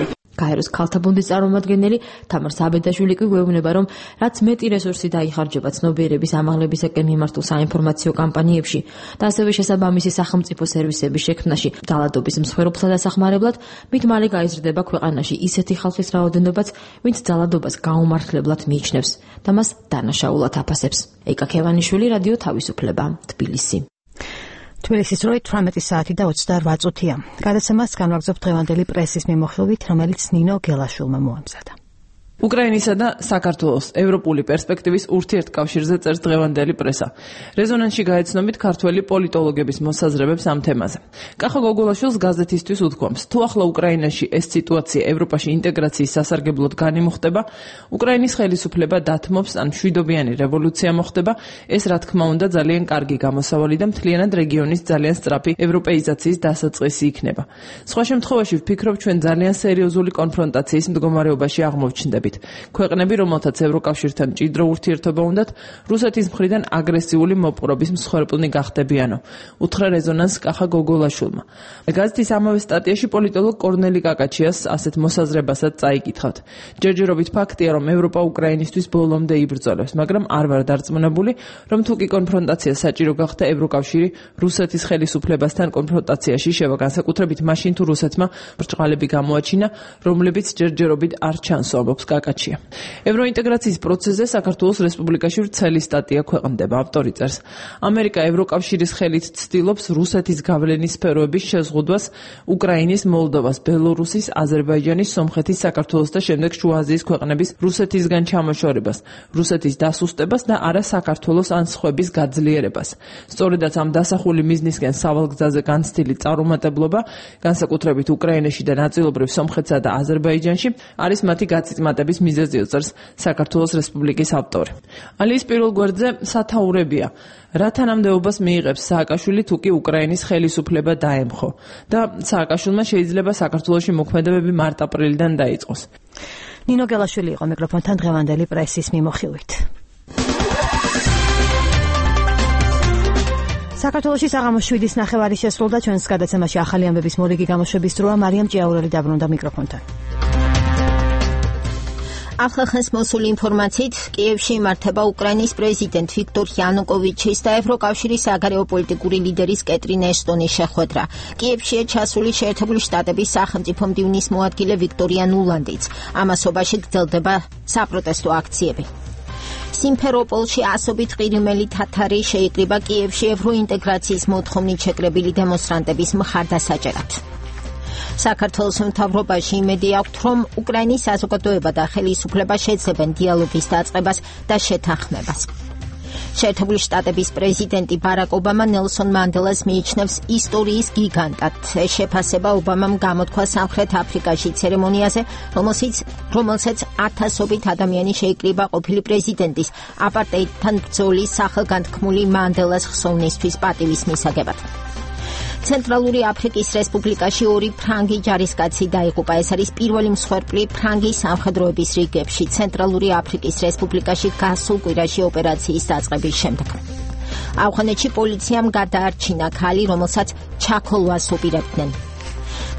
გაეროს ქალთა ფონდის წარმომადგენელი თამარ საბედაშვილი კი გვეუბნება, რომ რაც მეტი რესურსი დაიხარჯება ცნობიერების ამაღლებისაკენ მიმართულ საინფორმაციო კამპანიებში და ასევე შესაბამისი სახელმწიფო სერვისების შექმნაში ძალადობის მსხვერპლთა დასახმარებლად, მით მალე გაიზრდება ქვეყანაში ისეთი ხალხის რაოდენობაც, ვინც ძალადობას გაუმართლებლად მიიჩნევს და მას დანაშაულად აფასებს. ეკა ქევანიშვილი, რადიო თავისუფლება, თბილისი. თბილისის როი 18 საათი და 28 წუთია. გადაცემას განვაგრძობთ დღევანდელი პრესის მიმოხილვით, რომელიც ნინო გელაშვილმა მოამზადა. უკრაინისა და საქართველოს ევროპული პერსპექტივის ურთიერთკავშირზე წერს დღევანდელი პრესა. რეზონანსში გაეცნობით ქართველი პოლიტოლოგების მოსაზრებებს ამ თემაზე. კახა გოგოლაშვილს გაზეთისთვის უთქვამს, თუ ახლა უკრაინაში ეს სიტუაცია ევროპაში ინტეგრაციის სასარგებლოდ განიმუხტება, უკრაინის ხელისუფლება დათმობს ან მშვიდობიანი რევოლუცია მოხდება, ეს რა თქმა უნდა ძალიან კარგი გამოსავალი და მთლიანად რეგიონის ძალიან სწრაფი ევროპეიზაციის დასაწყისი იქნება. სხვა შემთხვევაში ვფიქრობ, ჩვენ ძალიან სერიოზული კონფრონტაციის მდგომარეობაში აღმოჩნდებით. მიხედვით. ქვეყნები, რომელთაც ევროკავშირთან მჭიდრო ურთიერთობა უნდათ, რუსეთის მხრიდან აგრესიული მოპყრობის მსხვერპლნი გახდებიანო. უთხრა რეზონანს კახა გოგოლაშვილმა. გაზეთის ამავე სტატიაში პოლიტოლოგ კორნელი კაკაჩიას ასეთ მოსაზრებასაც წაიკითხავთ. ჯერჯერობით ფაქტია, რომ ევროპა უკრაინისთვის ბოლომდე იბრძოლებს, მაგრამ არ ვარ დარწმუნებული, რომ თუ კი კონფრონტაცია საჭირო გახდა ევროკავშირი რუსეთის ხელისუფლებასთან კონფრონტაციაში შევა, განსაკუთრებით მაშინ თუ რუსეთმა ბრჭყალები გამოაჩინა, რომლებიც ჯერჯერობით არ ჩანს, ამბობს კაკაჩია. ევროინტეგრაციის პროცესზე საქართველოს რესპუბლიკაში ვრცელი სტატია ქვეყნდება. ავტორი წერს: ამერიკა ევროკავშირის ხელით ცდილობს რუსეთის გავლენის სფეროების შეზღუდვას უკრაინის, მოლდოვას, ბელორუსის, აზერბაიჯანის, სომხეთის, საქართველოს და შემდეგ შუა აზიის ქვეყნების რუსეთისგან ჩამოშორებას, რუსეთის დასუსტებას და არა საქართველოს ან სხვების გაძლიერებას. სწორედაც ამ დასახული მიზნისკენ სავალგზაზე განცდილი წარუმატებლობა, განსაკუთრებით უკრაინაში და ნაწილობრივ სომხეთსა და აზერბაიჯანში, არის მათი გაწიწმატების მიზეზი, წერს საქართველოს რესპუბლიკის ავტორი. ალიის პირველ გვერდზე სათაურებია. რა თანამდებობას მიიღებს სააკაშვილი თუ კი უკრაინის ხელისუფლება დაემხო და სააკაშვილმა შეიძლება საქართველოში მოქმედებები მარტ-აპრილიდან დაიწყოს. ნინო გელაშვილი იყო მიკროფონთან დღევანდელი პრესის მიმოხილვით. საქართველოში საღამოს 7-ის ნახევარი შესრულდა. ჩვენს გადაცემაში ახალი ამბების მორიგი გამოშვების დროა. მარიამ ჭიაურელი დაბრუნდა მიკროფონთან. ახალხანს მოსული ინფორმაციით, კიევში იმართება უკრაინის პრეზიდენტ ვიქტორ იანუკოვიჩის და ევროკავშირის საგარეო პოლიტიკური ლიდერის კეტრინ ეშტონის შეხვედრა. კიევშია ჩასული შეერთებული შტატების სახელმწიფო მდივნის მოადგილე ვიქტორია ნულანდიც. ამასობაში გრძელდება საპროტესტო აქციები. სიმფეროპოლში ასობით ყირიმელი თათარი შეიკრიბა კიევში ევროინტეგრაციის მოთხოვნით შეკრებილი დემონსტრანტების მხარდასაჭერად. საქართველოს მთავრობაში იმედი აქვთ, რომ უკრაინის საზოგადოება და ხელისუფლება შეძლებენ დიალოგის დაწყებას და შეთანხმებას. შეერთებული შტატების პრეზიდენტი ბარაკ ობამა ნელსონ მანდელას მიიჩნევს ისტორიის გიგანტად. ეს შეფასება ობამამ გამოთქვა სამხრეთ აფრიკაში ცერემონიაზე, რომელსაც ათასობით ადამიანი შეიკრიბა ყოფილი პრეზიდენტის აპარტეიდთან ბრძოლის სახელგანთქმული მანდელას ხსოვნისთვის პატივის მისაღებად. ცენტრალური აფრიკის რესპუბლიკაში 2 ფრანგი ჯარისკაცი დაიღუპა. ეს არის პირველი მსხვერპლი ფრანგი სამხედროების რიგებში ცენტრალური აფრიკის რესპუბლიკაში გასულ კვირაში ოპერაციის დაწყების შემდეგ. ავღანეთში პოლიციამ გადაარჩინა ქალი, რომელსაც ჩაქოლვას უპირებდნენ.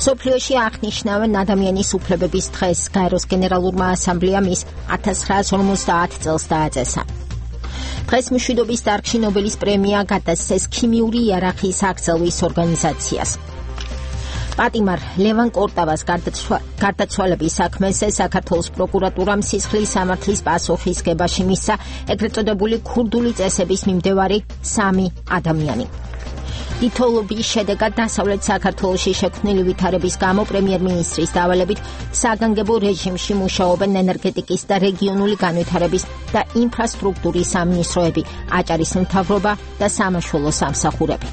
სოფლიოში აღნიშნავენ ადამიანის უფლებების დღეს. გაეროს გენერალურმა ასამბლეამ ის 1950 წელს დააწესა. დღეს მშვიდობის დარგში ნობელის პრემია გადასცეს ქიმიური იარაღის აღწევის ორგანიზაციას. პატიმარ ლევან კორტავას გარდაცვალების საქმეზე საქართველოს პროკურატურამ სისხლის სამართლის პასუხისგებაში მისცა ეგრეთ წოდებული ქურდული წესების მიმდევარი 3 ადამიანი. თითოეულის შედეგად დასავლეთ საქართველოში შექმნილი ვითარების გამო პრემიერ-მინისტრის დავალებით საგანგებო რეჟიმში მუშაობენ ენერგეტიკის და რეგიონული განვითარების და ინფრასტრუქტურის სამინისტროები, აჭარის მთავრობა და სამაშველო სამსახურები.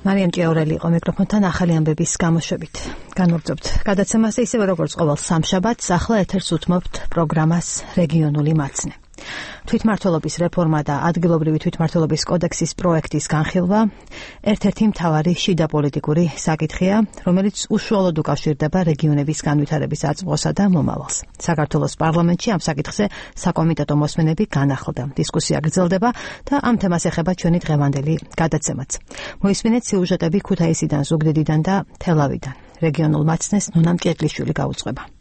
მარიამ ჭიაურელი იყო მიკროფონთან ახალი ამბების გამოშვებით. განვაგრძობთ გადაცემას ისევე როგორც ყოველ სამშაბათს, ახლა ეთერს უთმობთ პროგრამას რეგიონული მაცნე. თვითმმართველობის რეფორმა და ადგილობრივი თვითმმართველობის კოდექსის პროექტის განხილვა ერთ-ერთი მთავარი შიდა პოლიტიკური საკითხია, რომელიც უშუალოდ უკავშირდება რეგიონების განვითარების აწმყოსა და მომავალს. საქართველოს პარლამენტში ამ საკითხზე საკომიტეტო მოსმენები განახლდა. დისკუსია გრძელდება და ამ თემას ეხება ჩვენი დღევანდელი გადაცემაც. მოისმინეთ სიუჟეტები ქუთაისიდან, ზუგდიდიდან და თელავიდან. რეგიონულ მაცნეს ნონა მჭედლიშვილი გაუძღვება.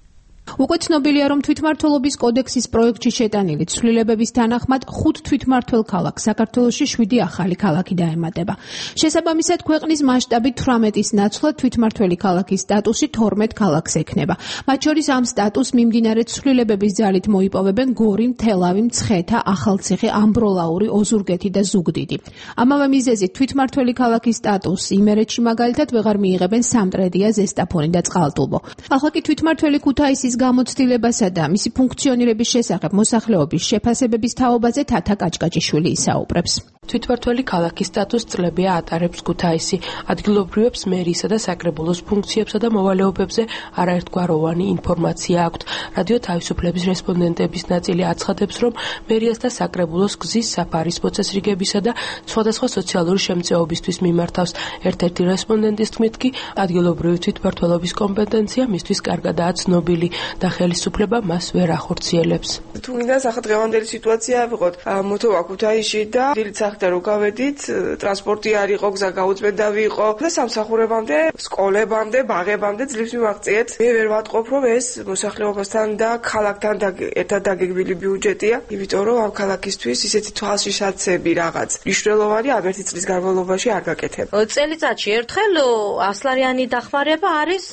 უკვე ცნობილია, რომ თვითმმართველობის კოდექსის პროექტში შეტანილი ცვლილებების თანახმად 5 თვითმმართველ ქალაქს საქართველოში 7 ახალი ქალაქი დაემატება. შესაბამისად, ქვეყნის მასშტაბით 18-ის ნაცვლად თვითმმართველი ქალაქის სტატუსი 12 ქალაქს ექნება. მათ შორის ამ სტატუსს მიმდინარე ცვლილებების ძალით მოიპოვებენ გორი, თელავი, მცხეთა, ახალციხე, ამბროლაური, ოზურგეთი და ზუგდიდი. ამავე მიზეზით თვითმმართველი ქალაქის სტატუსს იმერეთში მაგალითად ვეღარ მიიღებენ სამტრედია, ზესტაფონი და წყალტუბო. ახლა კი თვითმმართველი ქუთაისის გამოცდილებასა და მისი ფუნქციონირების შესახებ მოსახლეობის შეფასებების თაობაზე თათა კაჭკაჭიშვილი ისაუბრებს. თვითმართველი ქალაქის სტატუსს წლებია ატარებს ქუთაისი. ადგილობრივებს მერიისა და საკრებულოს ფუნქციებსა და მოვალეობებზე არაერთგვაროვანი ინფორმაცია აქვთ. რადიო თავისუფლების რესპონდენტების ნაწილი აცხადებს, რომ მერიას და საკრებულოს გზის საფარის მოწესრიგებისა და სხვადასხვა სოციალური შემწეობისთვის მიმართავს. ერთ-ერთი რესპონდენტის თქმით კი ადგილობრივი თვითმმართველობის კომპეტენცია მისთვის კარგადაა ცნობილი და ხელისუფლება მას ვერ ახორციელებს. თუ მინდა დღევანდელი სიტუაცია ავიღოთ მოთოვა ქუთაისში და დილით სახდე რო გავედით, ტრანსპორტი არ იყო, გზა გაუწმენდავი იყო და სამსახურებამდე, სკოლებამდე, ბაღებამდე ძლივს მივაღწიეთ. მე ვერ ვატყობ, რომ ეს მოსახლეობასთან და ქალაქთან ერთად დაგეგმილი ბიუჯეტია, იმიტომ რომ ამ ქალაქისთვის ისეთი თვალშიშაცები რაღაც მნიშვნელოვანი ამ ერთი წლის განმავლობაში არ გაკეთება. წელიწადში ერთხელ 100 ლარიანი დახმარება არის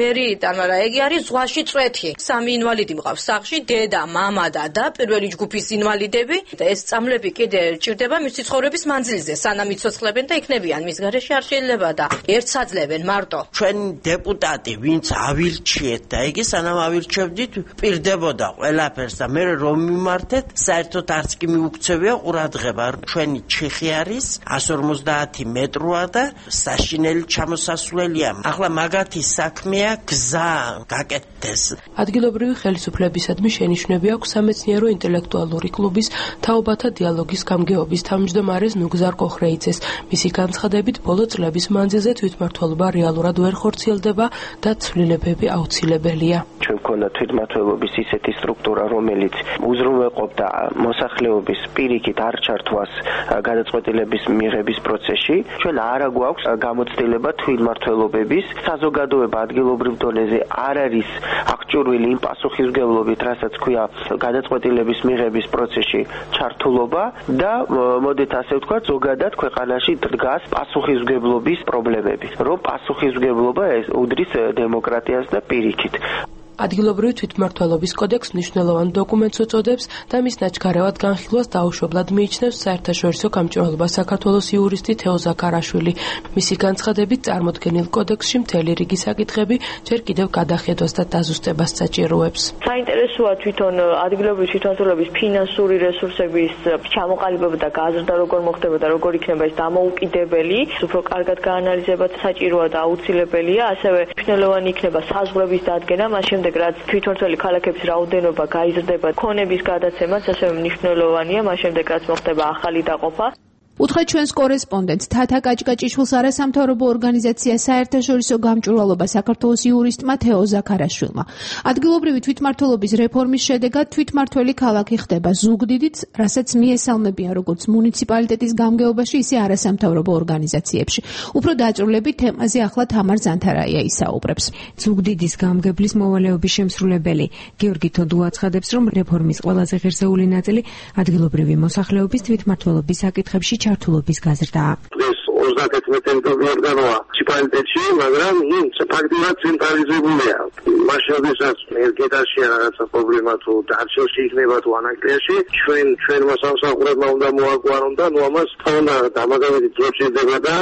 მერიიდან, მაგრამ ეგ არის ზღვაში წვეთი. 3 ინვალიდი მყავს სახლში, დედა, მამა და პირველი ჯგუფის ინვალიდები და ეს წამლები კიდე ჭირდება მისი ცხოვრების მანძილზე, სანამ იცოცხლებენ და იქნებიან მის გარეშე არ შეიძლება და ერთს აძლევენ მარტო. ჩვენ დეპუტატი ვინც ავილჩიეთ და იგი სანამ ავილჩევდით პირდებოდა ყველაფერს და მე რომ მიმართეთ საერთოდ არც კი მიუქცევია ყურადღება. ჩვენი ჩიხი არის 150 მეტროა და საშინელი ჩამოსასვლელია. ახლა მაგათი საქმეა გზა გაკეთდეს. ადგილობრივი ხელისუფლებისადმი შენიშვნები აქვს სამეცნიერო ინტელექტუალური კლუბის თაობათა დიალოგის გამგეობის თავმჯდომარეს ნუგზარ კოხრეიძეს. მისი განცხადებით, ბოლო წლების მანძილზე თვითმმართველობა რეალურად ვერ ხორციელდება და ცვლილებები აუცილებელია. ჩვენ გვქონდა თვითმმართველობის ისეთი სტრუქტურა, რომელიც უზრუნველყოფდა მოსახლეობის პირიქით არ ჩართვას გადაწყვეტილების მიღების პროცესში. ჩვენ არა გვაქვს გამოცდილება თვითმმართველობების საზოგადოება ადგილობრივ დონეზე არ არის აღჭურვილი იმ პასუხისმგებლობით, რასაც ქვია გადაწყვეტილების მიღების პროცესში ჩართულობა და მოდით ასე ვთქვათ, ზოგადად ქვეყანაში დგას პასუხისმგებლობის პრობლემები, რომ პასუხისმგებლობა უდრის დემოკრატიას და პირიქით. ადგილობრივი თვითმმართველობის კოდექსს მნიშვნელოვან დოკუმენტს უწოდებს და მის ნაჩქარევად განხილვას დაუშვებლად მიიჩნევს საერთაშორისო გამჭვირვალობა საქართველოს იურისტი თეო ზაქარაშვილი. მისი განცხადებით, წარმოდგენილ კოდექსში მთელი რიგი საკითხები ჯერ კიდევ გადახედვას და დაზუსტებას საჭიროებს. საინტერესოა თვითონ ადგილობრივი თვითმმართველობის ფინანსური რესურსების ჩამოყალიბება და გაზრდა როგორ მოხდება და როგორ იქნება ეს დამოუკიდებელი, უფრო კარგად გაანალიზებაც საჭიროა და აუცილებელია, ასევე მნიშვნელოვანი იქნება საზღვრების დადგენა, მას შემდეგ რაც თვითმმართველი ქალაქების რაოდენობა გაიზრდება, ქონების გადაცემაც ასევე მნიშვნელოვანია, მას შემდეგ რაც მოხდება ახალი დაყოფა. უთხრეთ ჩვენს კორესპონდენტს თათა კაჭკაჭიშვილს არასამთავრობო ორგანიზაცია საერთაშორისო გამჭვირვალობა საქართველოს იურისტმა თეო ზაქარაშვილმა. ადგილობრივი თვითმმართველობის რეფორმის შედეგად თვითმმართველი ქალაქი ხდება ზუგდიდიც, რასაც მიესალმებიან როგორც მუნიციპალიტეტის გამგეობაში, ისე არასამთავრობო ორგანიზაციებში. უფრო დაწვრილებით თემაზე ახლა თამარ ზანთარაია ისაუბრებს. ზუგდიდის გამგებლის მოვალეობის შემსრულებელი გიორგი თოდუ აცხადებს, რომ რეფორმის ყველაზე ღირსეული ნაწილი ადგილობრივი მოსახლეობის თვითმმართველობის საკითხებში ჩართულობის გაზრდაა. ეს 31 ორგანოა მუნიციპალიტეტში, მაგრამ ის ფაქტიურად ცენტრალიზებულია. მაშინ როდესაც ერგედაში რაღაცა პრობლემა თუ დარჩენში იქნება თუ ანაკრიაში, ჩვენმა სამსახურებმა უნდა მოაგვარონ და ნუ ამას თქონდა დამაგავეთი დრო შეიძლება და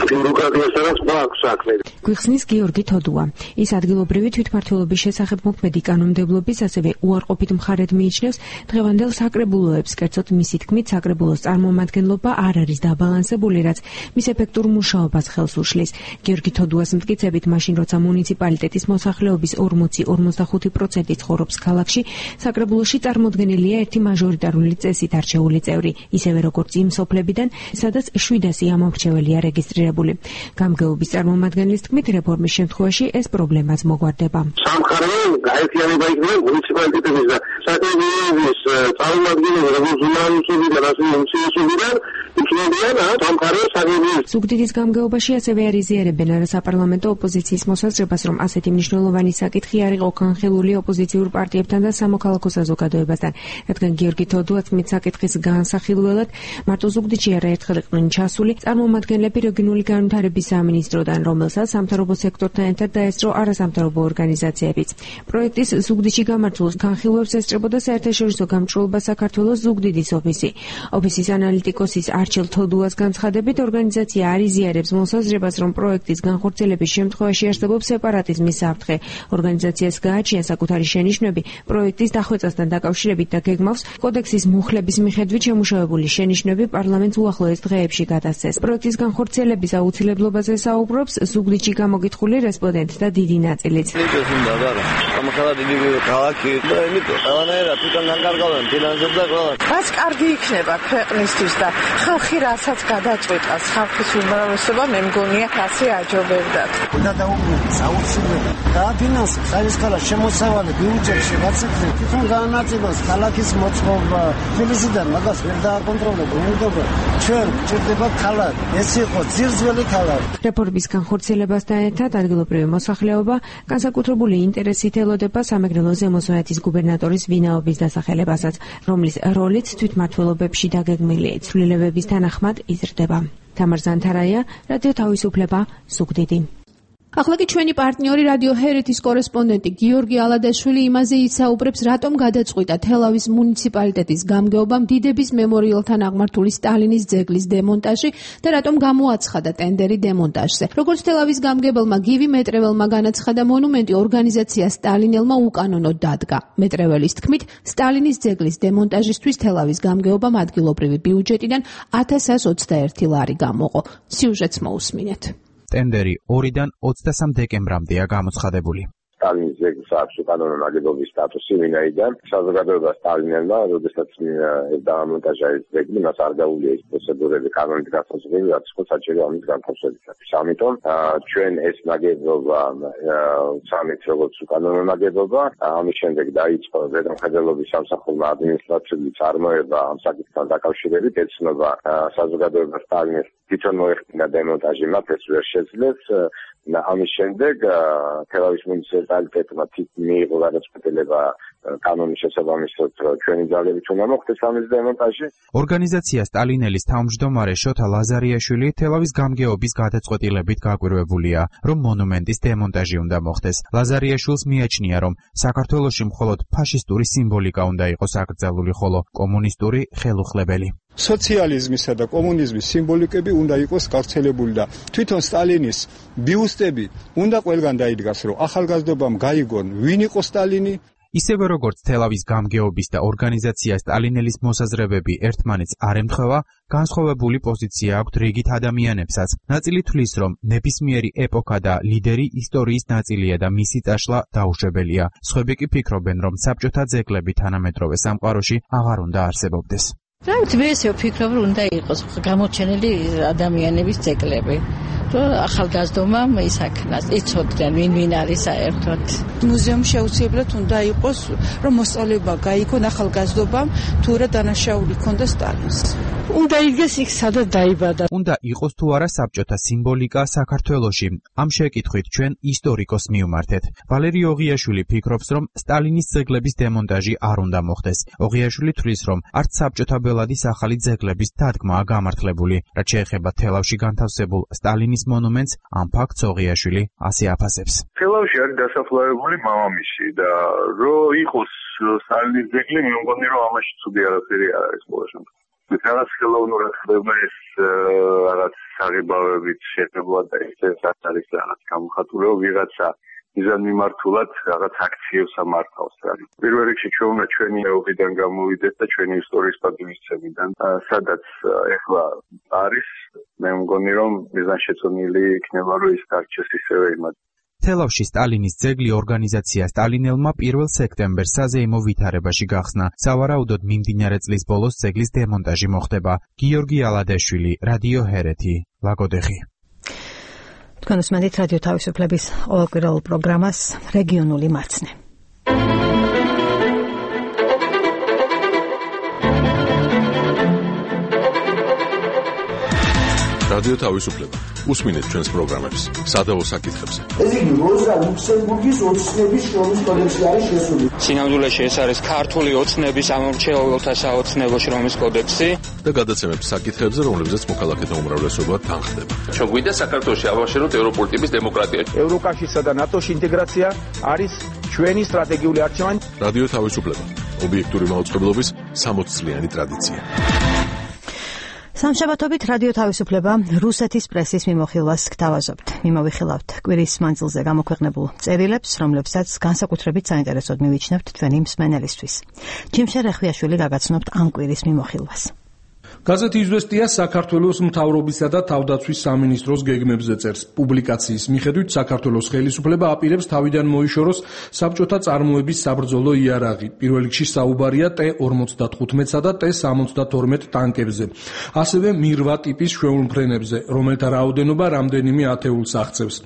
ბიუროკრატიასთან სხვა აქვს საქმე. გვიხსნის გიორგი თოდუა. ის ადგილობრივი თვითმმართველობის შესახებ მოქმედი კანონმდებლობის, ასევე უარყოფით მხარედ მიიჩნევს დღევანდელ საკრებულოებს, კერძოდ მისი თქმით, საკრებულოს წარმომადგენლობა არ არის დაბალანსებული, რაც მის ეფექტურ მუშაობას ხელს უშლის. გიორგი თოდუას მტკიცებით, მაშინ როცა მუნიციპალიტეტის მოსახლეობის 40-45% ცხოვრობს ქალაქში, საკრებულოში წარმოდგენილია ერთი მაჟორიტარული წესით არჩეული წევრი, ისევე როგორც იმ სოფლებიდან, სადაც 700 ამომრჩეველია რეგისტრირებული. გამგეობის წარმომადგენლის თქმით, რეფორმის შემთხვევაში ეს პრობლემაც მოგვარდება. სამხარეო გაერთიანება იქნება მუნიციპალიტეტების და საკრებულოს წარმომადგენლები, როგორც უნარისობიდან, ასევე უმცირესობიდან იქნებიან სამხარეო საკრებულოს. ზუგდიდის გამგეობაში ასევე არიზიარებენ არასაპარლამენტო ოპოზიციის მოსაზრებას, რომ ასეთი მნიშვნელოვანი საკითხი არ იყო განხილული ოპოზიციურ პარტიებთან და სამოქალაქო საზოგადოებასთან, რადგან გიორგი თოდუა თმით საკითხის განსახილველად მარტო ზუგდიდში არაერთხელ იყვნენ ჩასული წარმომადგენლები რეგიონული განვითარების სამინისტროდან, რომელსაც სამთავრობო სექტორთან ერთად დაესწრო არასამთავრობო ორგანიზაციებიც. პროექტის ზუგდიდში გამართულს განხილვებს ესწრებოდა საერთაშორისო გამჭვირვალობა საქართველოს ზუგდიდის ოფისი. ოფისის ანალიტიკოსის მარჩელ თოდუას განცხადებით, ორგანიზაცია არ იზიარებს მოსაზრებას, რომ პროექტის განხორციელების შემთხვევაში არსებობს სეპარატიზმის საფრთხე. ორგანიზაციას გააჩნია საკუთარი შენიშვნები პროექტის დახვეწასთან დაკავშირებით და გეგმავს კოდექსის მუხლების მიხედვით შემუშავებული შენიშვნები პარლამენტს უახლოეს დღეებში გადასცეს. პროექტის განხორციელების აუცილებლობაზე საუბრობს ზუგდიდში გამოგითხული რესპონდენტ და დიდი ნაწილიც. რაც კარგი იქნება ქვეყნისთვის და ხალხი რასაც გადაწყვიტავს, ხალხის უმრავლესობა მე მგონია ასე აჯობებდათ. და დაუბრუნდით საოცრებად. დააფინანსებს არის ქალაქ შემოსავალი ბიუჯეტში გაცეკვით. თვითონ განაწილოს ქალაქის მოწყობა. თბილისიდან მაგას ვერ დააკონტროლებთ. უმდობრო ჩვენ გვჭირდება ქალაქი. ეს იყო ძირძველი ქალაქი. რეფორმის განხორციელებასთან ერთად ადგილობრივი მოსახლეობა განსაკუთრებული ინტერესით ელოდება სამეგრელო ზემო სვანეთის გუბერნატორის ვინაობის დასახელებასაც, რომლის როლიც თვითმმართველობებში დაგეგმილია. ცვლილებების თანახმად იზრდება. თამარ ზანთარაია, რადიო თავისუფლება, ზუგდიდი. ახლა კი ჩვენი პარტნიორი რადიო ჰერეთის კორესპონდენტი გიორგი ალადაშვილი იმაზე ისაუბრებს, რატომ გადაწყვიტა თელავის მუნიციპალიტეტის გამგეობამ დიდების მემორიალთან აღმართული სტალინის ძეგლის დემონტაჟი და რატომ გამოაცხადა ტენდერი დემონტაჟზე. როგორც თელავის გამგებელმა გივი მეტრეველმა განაცხადა, მონუმენტი ორგანიზაცია სტალინელმა უკანონოდ დადგა. მეტრეველის თქმით, სტალინის ძეგლის დემონტაჟისთვის თელავის გამგეობამ ადგილობრივი ბიუჯეტიდან 1121 ლარი გამოყო. სიუჟეტს მოусმინეთ. ტენდერი 2-დან 23 დეკემბრამდეა გამოცხადებული. სტალინის ძეგლს აქვს უკანონო ნაგებობის სტატუსი, ვინაიდან საზოგადოება სტალინელმა, როდესაც დაამონტაჟა ეს ძეგლი, მას არ გაუვლია ის პროცედურები კანონით გასაზრდელი, რაც იყო საჭირო ამის განთავსებისათვის. ამიტომ ჩვენ ეს ნაგებობა სამით როგორც უკანონო ნაგებობა, ამის შემდეგ დაიწყო ზედამხედველობის სამსახურმა ადმინისტრაციული წარმოება ამ საკითხთან დაკავშირებით, ეცნობა საზოგადოება სტალინის თვითონ მოეხდინა დემონტაჟი, მათ ეს ვერ შეძლეს. ამის შემდეგ თელავის მუნიციპალიტეტმა მიიღო გადაწყვეტილება კანონის შესაბამისად, რომ ჩვენი ძალებით უნდა მოხდეს ამის დემონტაჟი. ორგანიზაცია სტალინელის თავმჯდომარე შოთა ლაზარიაშვილი თელავის გამგეობის გადაწყვეტილებით გაკვირვებულია, რომ მონუმენტის დემონტაჟი უნდა მოხდეს. ლაზარიაშვილს მიაჩნია, რომ საქართველოში მხოლოდ ფაშისტური სიმბოლიკა უნდა იყოს აკრძალული, ხოლო კომუნისტური ხელუხლებელი. სოციალიზმისა და კომუნიზმის სიმბოლიკები უნდა იყოს გავრცელებული და თვითონ სტალინის ბიუსტები უნდა ყველგან დაიდგას, რომ ახალგაზრდობამ გაიგონ, ვინ იყო სტალინი. ისევე როგორც თელავის გამგეობის და ორგანიზაცია სტალინელის მოსაზრებები ერთმანეთს არ ემთხვევა, განსხვავებული პოზიცია აქვთ რიგით ადამიანებსაც. ნაწილი თვლის, რომ ნებისმიერი ეპოქა და ლიდერი ისტორიის ნაწილია და მისი წაშლა დაუშვებელია. სხვები კი ფიქრობენ, რომ საბჭოთა ძეგლები თანამედროვე სამყაროში აღარ უნდა არსებობდეს. მე ესე ვფიქრობ, რომ უნდა იყოს გამოჩენილი ადამიანების ძეგლები. რომ ახალგაზრდობამ ისაქნას, იცოდნენ ვინ არის საერთოდ. მუზეუმი შეუძლიებლად უნდა იყოს, რომ მოსწავლეობა გაიგონ ახალგაზრდობამ, თუ რა დანაშაული ქონდა სტალინს. უნდა იგეს იქ სადაც დაიბადა. უნდა იყოს თუ არა საბჭოთა სიმბოლიკა საქართველოში. ამ შეკითხვით ჩვენ ისტორიკოს მივმართეთ. ვალერი ოღიაშვილი ფიქრობს, რომ სტალინის ძეგლების დემონტაჟი არ უნდა მოხდეს. ოღიაშვილი თვლის, რომ არც საბჭოთა ბელადის ახალი ძეგლების დადგმაა გამართლებული. რაც შეეხება თელავში განთავსებულ სტალინის მონუმენტს, ამ ფაქტს ოღიაშვილი ასე აფასებს. თელავში არის დასაფლავებული მამამისი და რო იყოს სტალინის ძეგლი, მე მგონი რომ ამაში ცუდი არაფერი არ არის ყველა შემთხვევაში. რაღაც ხელოვნურად ხდება ეს რაღაც საღებავებით შეფებლა და ეს არის რაღაც გამოხატულება ვიღაცა მიზან მიმართულად რაღაც აქციებს ამართავს. პირველ რიგში ჩვენ უნდა ჩვენი ეობიდან გამოვიდეთ და ჩვენი ისტორიის პატივისცემიდან, სადაც ეხლა არის, მე მგონი რომ მიზანშეწონილი იქნება რომ ის დარჩეს ისევე იმად. თელავში სტალინის ძეგლი ორგანიზაცია სტალინელმა 1 სექტემბერს საზეიმო ვითარებაში გახსნა. სავარაუდოდ მიმდინარე წლის ბოლოს ძეგლის დემონტაჟი მოხდება. გიორგი ალადაშვილი, რადიო ჰერეთი, ლაგოდეხი. თქვენ უსმენთ რადიო თავისუფლების ყოველკვირეულ პროგრამას რეგიონული მარცნე. რადიო თავისუფლება. უსმინეთ ჩვენს პროგრამებს სადავო საკითხებზე. ეს იგი როზა ლუქსემბურგის ოცნების შრომის კოდექსი არის შესული. სინამდვილეში ეს არის ქართული ოცნების ამორჩეულთა საოცნებო შრომის კოდექსი და გადაცემებს საკითხებზე, რომლებზეც მოქალაქეთა უმრავლესობა თანხდება. ჩვენ გვინდა საქართველოში ავაშენოთ ევროპული ტიპის დემოკრატია. ევროკავშირსა და ნატოს ინტეგრაცია არის ჩვენი სტრატეგიული არჩევანი. რადიო თავისუფლება. ობიექტური მაუწყებლობის 60 წლიანი ტრადიცია. სამშაბათობით რადიო თავისუფლება რუსეთის პრესის მიმოხილვას გთავაზობთ. მიმოვიხილავთ კვირის მანძილზე გამოქვეყნებულ წერილებს, რომლებსაც განსაკუთრებით საინტერესოდ მივიჩნევთ თქვენი მსმენელისთვის. ჯიმშე რეხვიაშვილი გაგაცნობთ ამ კვირის მიმოხილვას. გაზეთი „იზვესტია“ საქართველოს მთავრობისა და თავდაცვის სამინისტროს გეგმებზე წერს. პუბლიკაციის მიხედვით საქართველოს ხელისუფლება აპირებს თავიდან მოიშოროს საბჭოთა წარმოების საბრძოლო იარაღი. პირველ რიგში საუბარია T-55-სა და T-72 ტანკებზე. ასევე მირვა ტიპის შვეულმფრენებზე, რომელთა რაოდენობა რამდენიმე ათეულს აღწევს.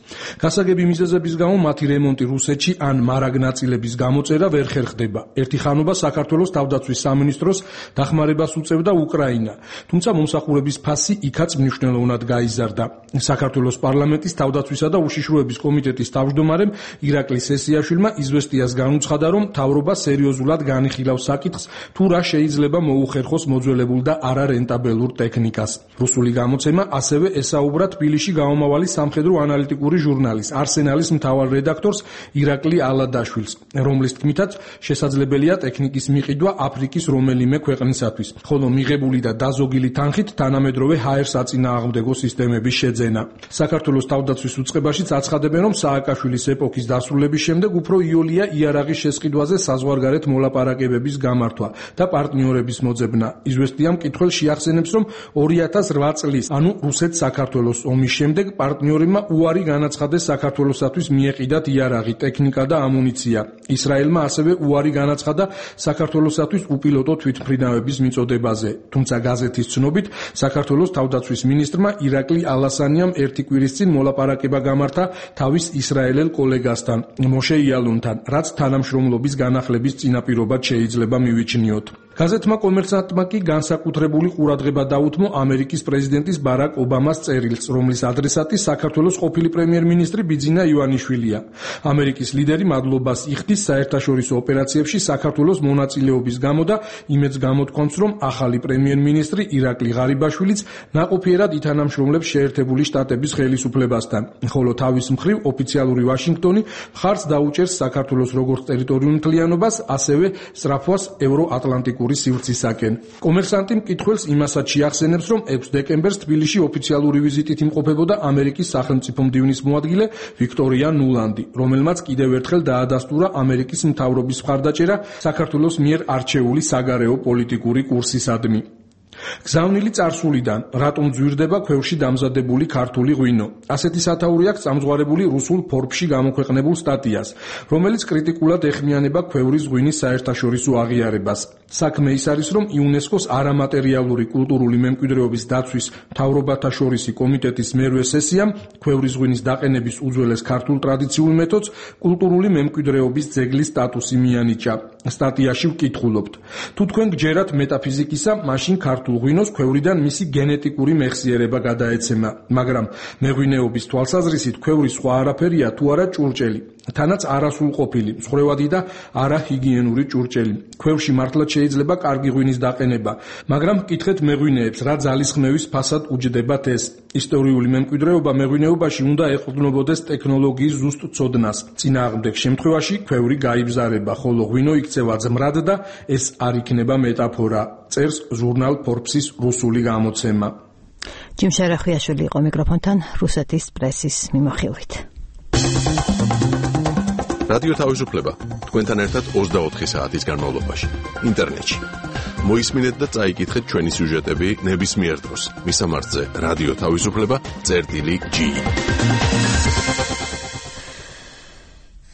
გასაგები მიზეზების გამო მათი რემონტი რუსეთში ან მარაგ ნაწილების გამოწერა ვერ ხერხდება. ერთი ხანობა საქართველოს თავდაცვის სამინისტროს დახმარებას უწევდა უკრაინა. თუმცა მომსახურების ფასი იქაც მნიშვნელოვნად გაიზარდა. საქართველოს პარლამენტის თავდაცვისა და უშიშროების კომიტეტის თავმჯდომარემ ირაკლი სესიაშვილმა „იზვესტიას“ განუცხადა, რომ მთავრობა სერიოზულად განიხილავს საკითხს, თუ რა შეიძლება მოუხერხოს მოძველებულ და არარენტაბელურ ტექნიკას. რუსული გამოცემა ასევე ესაუბრა თბილისში გამომავალი სამხედრო ანალიტიკური ჟურნალის „არსენალის“ მთავარ რედაქტორს ირაკლი ალადაშვილს, რომლის თქმითაც შესაძლებელია ტექნიკის მიყიდვა აფრიკის რომელიმე ქვეყნისათვის, ხოლო მიღებული და დაზოგილი თანხით თანამედროვე ჰაერ-საწინააღმდეგო სისტემების შეძენა. საქართველოს თავდაცვის უწყებაშიც აცხადებენ, რომ სააკაშვილის ეპოქის დასრულების შემდეგ უფრო იოლია იარაღის შესყიდვაზე საზღვარგარეთ მოლაპარაკებების გამართვა და პარტნიორების მოძებნა. „იზვესტიამ“ მკითხველს შეახსენებს, რომ 2008 წლის, ანუ რუსეთ-საქართველოს ომის შემდეგ პარტნიორებმა უარი განაცხადეს საქართველოსათვის მიეყიდათ იარაღი, ტექნიკა და ამუნიცია. ისრაელმა ასევე უარი განაცხადა საქართველოსათვის უპილოტო თვითმფრინავების მიწოდებაზე. თუმცა გაზეთის ცნობით, საქართველოს თავდაცვის მინისტრმა ირაკლი ალასანიამ ერთი კვირის წინ მოლაპარაკება გამართა თავის ისრაელელ კოლეგასთან, მოშე იალუნთან, რაც თანამშრომლობის განახლების წინაპირობად შეიძლება მივიჩნიოთ. გაზეთმა „კომერსანტმა“ კი განსაკუთრებული ყურადღება დაუთმო ამერიკის პრეზიდენტის ბარაკ ობამას წერილს, რომლის ადრესატი საქართველოს ყოფილი პრემიერ-მინისტრი ბიძინა ივანიშვილია. ამერიკის ლიდერი მადლობას იხდის საერთაშორისო ოპერაციებში საქართველოს მონაწილეობის გამო და იმედს გამოთქვამს, რომ ახალი პრემიერ-მინისტრი ირაკლი ღარიბაშვილიც ნაყოფიერად ითანამშრომლებს შეერთებული შტატების ხელისუფლებასთან, ხოლო თავის მხრივ ოფიციალური ვაშინგტონი მხარს დაუჭერს საქართველოს როგორც ტერიტორიულ მთლიანობას, ასევე სწრაფვას ევროატლანტიკურ სივრცისაკენ. „კომერსანტი“ მკითხველს იმასაც შეახსენებს, რომ 6 დეკემბერს თბილისში ოფიციალური ვიზიტით იმყოფებოდა ამერიკის სახელმწიფო მდივნის მოადგილე ვიქტორია ნულანდი, რომელმაც კიდევ ერთხელ დაადასტურა ამერიკის მთავრობის მხარდაჭერა საქართველოს მიერ არჩეული საგარეო პოლიტიკური კურსისადმი. გზავნილი წარსულიდან, რატომ ძვირდება ქვევრში დამზადებული ქართული ღვინო. ასეთი სათაური აქვს წამზღარებული რუსულ Forbes-ში გამოქვეყნებულ სტატიას, რომელიც კრიტიკულად ეხმიანება ქვევრის ღვინის საერთაშორისო აღიარებას. საქმე ის არის, რომ იუნესკოს არამატერიალური კულტურული მემკვიდრეობის დაცვის მთავრობათა შორისი კომიტეტის მერვე სესიამ ქვევრის ღვინის დაყენების უძველეს ქართულ ტრადიციულ მეთოდს კულტურული მემკვიდრეობის ძეგლის სტატუსი მიანიჭა. სტატიაში ვკითხულობთ: თუ თქვენ გჯერათ მეტაფიზიკისა, მაშინ ქართულ ღვინოს ქვევრიდან მისი გენეტიკური მეხსიერება გადაეცემა, მაგრამ მეღვინეობის თვალსაზრისით ქვევრი სხვა არაფერია თუ არა ჭურჭელი, თანაც არასრულყოფილი, მსხვერვადი და არაჰიგიენური ჭურჭელი. ქვევში მართლაც შეიძლება კარგი ღვინის დაყენება, მაგრამ მკითხეთ მეღვინეებს, რა ძალისხმევის ფასად უჯდებათ ეს. ისტორიული მემკვიდრეობა მეღვინეობაში უნდა ეყრდნობოდეს ტექნოლოგიის ზუსტ ცოდნას. წინააღმდეგ შემთხვევაში ქვევრი გაიბზარება, ხოლო ღვინო იქცევა ძმრად და ეს არ იქნება მეტაფორა, წერს ჟურნალ Forbes-ის რუსული გამოცემა. ჯიმშე რეხვიაშვილი იყო მიკროფონთან რუსეთის პრესის მიმოხილვით. რადიო თავისუფლება თქვენთან ერთად 24 საათის განმავლობაში ინტერნეტში. მოისმინეთ და წაიკითხეთ ჩვენი სიუჟეტები ნებისმიერ დროს. მისამართზე რადიო თავისუფლება.g.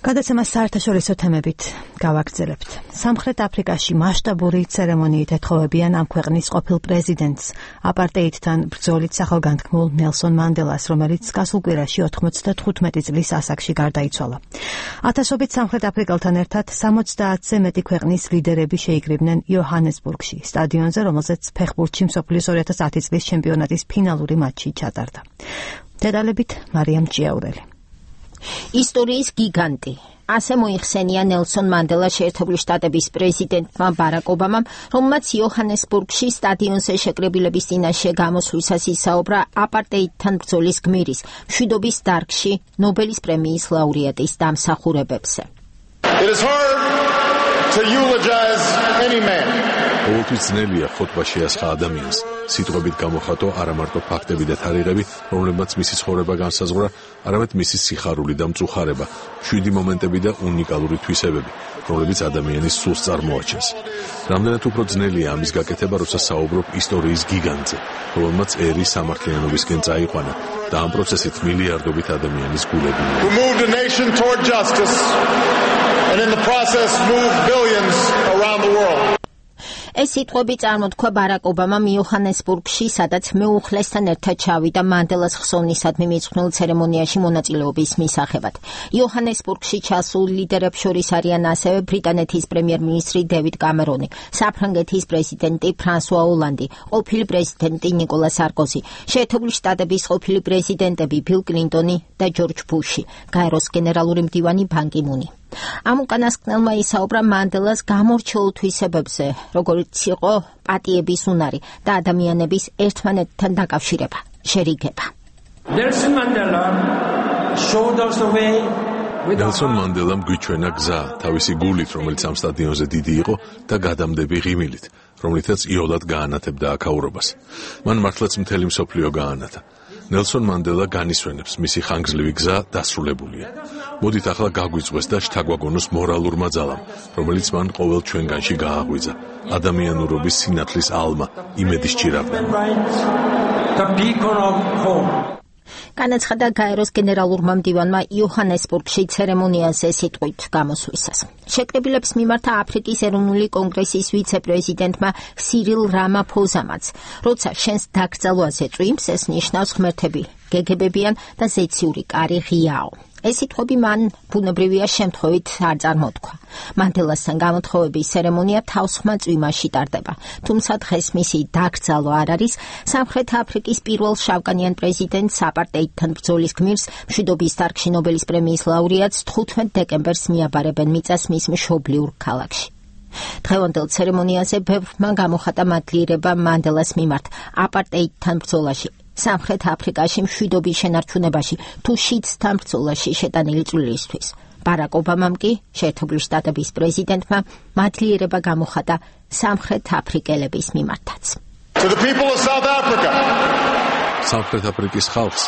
გადაცემას საერთაშორისო თემებით გავაგრძელებთ. სამხრეთ აფრიკაში მასშტაბური ცერემონიით ეთხოვებიან ამ ქვეყნის ყოფილ პრეზიდენტს, აპარტეიდთან ბრძოლით სახელგანთქმულ ნელსონ მანდელას, რომელიც გასულ კვირაში 95 წლის ასაკში გარდაიცვალა. ათასობით სამხრეთ აფრიკელთან ერთად 70-ზე მეტი ქვეყნის ლიდერები შეიკრიბნენ იოჰანესბურგში, სტადიონზე, რომელზეც ფეხბურთში მსოფლიოს 2010 წლის ჩემპიონატის ფინალური მატჩი ჩატარდა. დეტალებით მარიამ ჭიაურელი. ისტორიის გიგანტი. ასე მოიხსენია ნელსონ მანდელა შეერთებული შტატების პრეზიდენტმა ბარაკ ობამამ, რომელმაც იოჰანესბურგში სტადიონზე შეკრებილების წინაშე გამოსვლისას ისაუბრა აპარტეიდთან ბრძოლის გმირის, მშვიდობის დარგში ნობელის პრემიის ლაურეატის დამსახურებებზე. It is hard to eulogize any man. ყოველთვის ძნელია ხოტბა შეასხა ადამიანს, სიტყვებით გამოხატო არა მარტო ფაქტები და თარიღები, რომლებმაც მისი ცხოვრება განსაზღვრა, არამედ მისი სიხარული და მწუხარება, მშვიდი მომენტები და უნიკალური თვისებები, რომლებიც ადამიანის სულს წარმოაჩენს. რამდენად უფრო ძნელია ამის გაკეთება, როცა საუბრობ ისტორიის გიგანტზე, რომელმაც ერი სამართლიანობისკენ წაიყვანა და ამ პროცესით მილიარდობით ადამიანის გულები. Who moved a nation toward justice and in the process moved billions around the world. ეს სიტყვები წარმოთქვა ბარაკ ობამამ იოჰანესბურგში, სადაც მეუხლესთან ერთად ჩავიდა მანდელას ხსოვნისადმი მიძღვნილ ცერემონიაში მონაწილეობის მისაღებად. იოჰანესბურგში ჩასულ ლიდერებს შორის არიან ასევე ბრიტანეთის პრემიერ-მინისტრი დევიდ კამერონი, საფრანგეთის პრეზიდენტი ფრანსუა ოლანდი, ყოფილი პრეზიდენტი ნიკოლა სარკოზი, შეერთებული შტატების ყოფილი პრეზიდენტები ბილ კლინტონი და ჯორჯ ბუში, გაეროს გენერალური მდივანი ბან კი მუნი. ამ უკანასკნელმა ისაუბრა მანდელას გამორჩეულ თვისებებზე, როგორც იყო პატიების უნარი და ადამიანების ერთმანეთთან დაკავშირება, შერიგება. ნელსონ მანდელამ გვიჩვენა გზა თავისი გულით, რომელიც ამ სტადიონზე დიდი იყო და გადამდები ღიმილით, რომლითაც იოლად გაანათებდა აქაურობას. მან მართლაც მთელი მსოფლიო გაანათა. ნელსონ მანდელა განისვენებს, მისი ხანგრძლივი გზა დასრულებულია. მოდით ახლა გაგვიწვეს და შთაგვაგონოს მორალურმა ძალამ, რომელიც მან ყოველ ჩვენგანში გააღვიძა. ადამიანურობის სინათლის ალმა, იმედის ჭირავდა. განაცხადა გაეროს გენერალურმა მდივანმა იოჰანესბურგში ცერემონიაზე სიტყვით გამოსვლისას. შეკრებილებს მიმართა აფრიკის ეროვნული კონგრესის ვიცე-პრეზიდენტმა სირილ რამაფოზამაც, როცა შენს დაკრძალვაზე წვიმს, ეს ნიშნავს ღმერთები გეგებებიან და ზეციური კარი ღიაო. ეს სიტყვები მან ბუნებრივია შემთხვევით არ წარმოთქვა. მანდელასთან გამოთხოვების ცერემონია თავსხმა წვიმაში ტარდება, თუმცა დღეს მისი დაკრძალვა არ არის. სამხრეთ აფრიკის პირველ შავკანიან პრეზიდენტს აპარტეიდთან ბრძოლის გმირს, მშვიდობის დარგში ნობელის პრემიის ლაურეატს 15 დეკემბერს მიაბარებენ მიწას მის მშობლიურ ქალაქში. დღევანდელ ცერემონიაზე ბევრმა გამოხატა მადლიერება მანდელას მიმართ აპარტეიდთან ბრძოლაში, სამხრეთ აფრიკაში მშვიდობის შენარჩუნებაში თუ შიდსთან ბრძოლაში შეტანილი წვლილისთვის. ბარაკ ობამამ კი, შეერთებული შტატების პრეზიდენტმა, მადლიერება გამოხატა სამხრეთ აფრიკელების მიმართაც. სამხრეთ აფრიკის ხალხს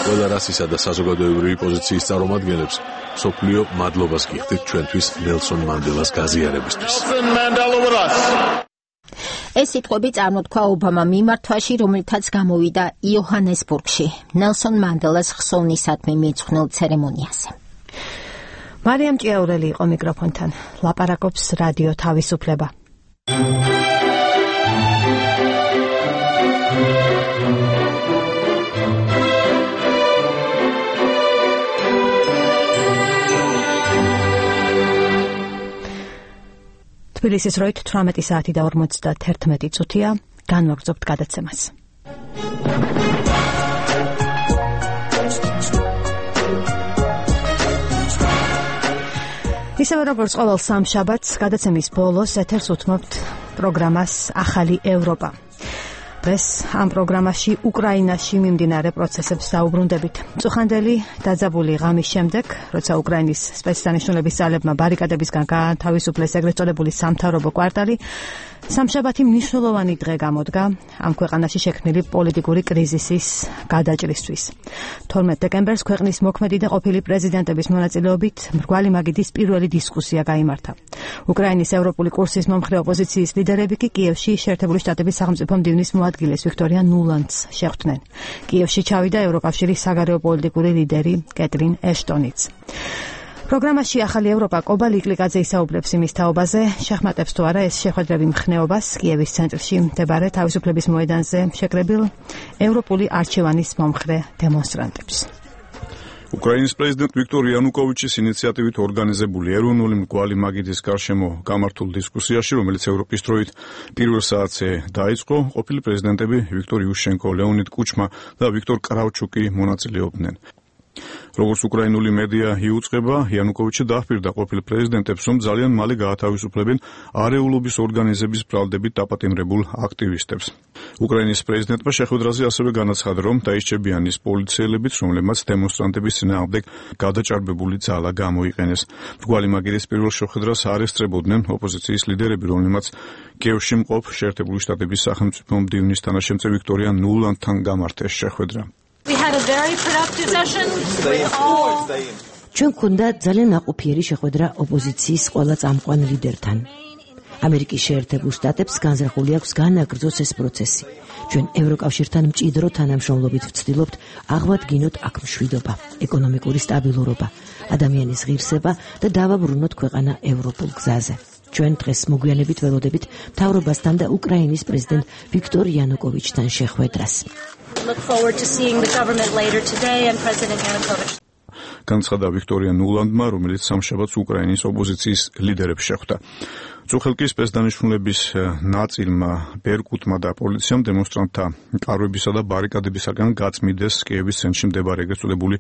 ყველა რასისა და საზოგადოებრივი პოზიციის წარმომადგენლებს მსოფლიო მადლობას გიხდით ჩვენთვის ნელსონ მანდელას გაზიარებისთვის. ეს სიტყვები წარმოთქვა ობამამ მიმართვაში, რომელთაც გამოვიდა იოჰანესბურგში, ნელსონ მანდელას ხსოვნისადმი მიძღვნილ ცერემონიაზე. მარიამ ჭიაურელი იყო მიკროფონთან. ლაპარაკობს რადიო თავისუფლება. თბილისის როით 18 საათი და 51 წუთია, განვაგრძობთ გადაცემას. ისევე როგორც ყოველ სამშაბათს, გადაცემის ბოლოს ეთერს უთმობთ პროგრამას ახალი ევროპა. დღეს ამ პროგრამაში უკრაინაში მიმდინარე პროცესებს დაუბრუნდებით. წუხანდელი დაძაბული ღამის შემდეგ, როცა უკრაინის სპეცდანიშნულების ძალებმა ბარიკადებისგან გაათავისუფლეს ეგრეთ წოდებული სამთავრობო კვარტალი, სამშაბათი მნიშვნელოვანი დღე გამოდგა ამ ქვეყანაში შექმნილი პოლიტიკური კრიზისის გადაჭრისთვის. 12 დეკემბერს ქვეყნის მოქმედი და ყოფილი პრეზიდენტების მონაწილეობით მრგვალი მაგიდის პირველი დისკუსია გაიმართა. უკრაინის ევროპული კურსის მომხრე ოპოზიციის ლიდერები კი კიევში შეერთებული შტატების სახელმწიფო მდივნის მოადგილეს ვიქტორია ნულანდს შეხვდნენ. კიევში ჩავიდა ევროკავშირის საგარეო პოლიტიკური ლიდერი კეტრინ ეშტონიც. პროგრამაში ახალი ევროპა კობა ლიკლიკაძე ისაუბრებს იმის თაობაზე, შეხმატებს თუ არა ეს შეხვედრები მხნეობას კიევის ცენტრში მდებარე თავისუფლების მოედანზე შეკრებილ ევროპული არჩევანის მომხრე დემონსტრანტებს. უკრაინის პრეზიდენტ ვიქტორ იანუკოვიჩის ინიციატივით ორგანიზებული ეროვნული მრგვალი მაგიდის გარშემო გამართულ დისკუსიაში, რომელიც ევროპის დროით პირველ საათზე დაიწყო, ყოფილი პრეზიდენტები ვიქტორ იუშენკო, ლეონიდ კუჩმა და ვიქტორ კრავჩუკი მონაწილეობდნენ. როგორც უკრაინული მედია იუწყება, იანუკოვიჩი დაჰპირდა ყოფილ პრეზიდენტებს, რომ ძალიან მალე გაათავისუფლებენ არეულობის ორგანიზების ბრალდებით დაპატიმრებულ აქტივისტებს. უკრაინის პრეზიდენტმა შეხვედრაზე ასევე განაცხადა, რომ დაისჭებიან ის პოლიციელებიც, რომლებმაც დემონსტრანტების წინააღმდეგ გადაჭარბებული ძალა გამოიყენეს. მრგვალი მაგირის პირველ შეხვედრას არ ესწრებოდნენ ოპოზიციის ლიდერები, რომლებმაც კიევში მყოფ შეერთებული შტატების სახელმწიფო მდივნის თანაშემწე ვიქტორია ნულანდთან გამართეს შეხვედრა. ჩვენ გვქონდა ძალიან ნაყოფიერი შეხვედრა ოპოზიციის ყველა წამყვან ლიდერთან. ამერიკის შეერთებულ შტატებს განზრახული აქვს განაგრძოს ეს პროცესი. ჩვენ ევროკავშირთან მჭიდრო თანამშრომლობით ვცდილობთ აღვადგინოთ აქ მშვიდობა, ეკონომიკური სტაბილურობა, ადამიანის ღირსება და დავაბრუნოთ ქვეყანა ევროპულ გზაზე. ჩვენ დღეს მოგვიანებით ველოდებით მთავრობასთან და უკრაინის პრეზიდენტ ვიქტორ იანუკოვიჩთან შეხვედრას. Look forward to seeing the government later today and President Yanukovych. განცხადა ვიქტორია ნულანდმა, რომელიც სამშაბათს უკრაინის ოპოზიციის ლიდერებს შეხვდა. წუხელკის სპეცდანიშნულების ნაწილმა, ბერკუტმა და პოლიციამ დემონსტრანტთა კარვებისა და ბარიკადებისაგან გაწმიდეს კიევის ცენტრში მდებარე ეგრეთ წოდებული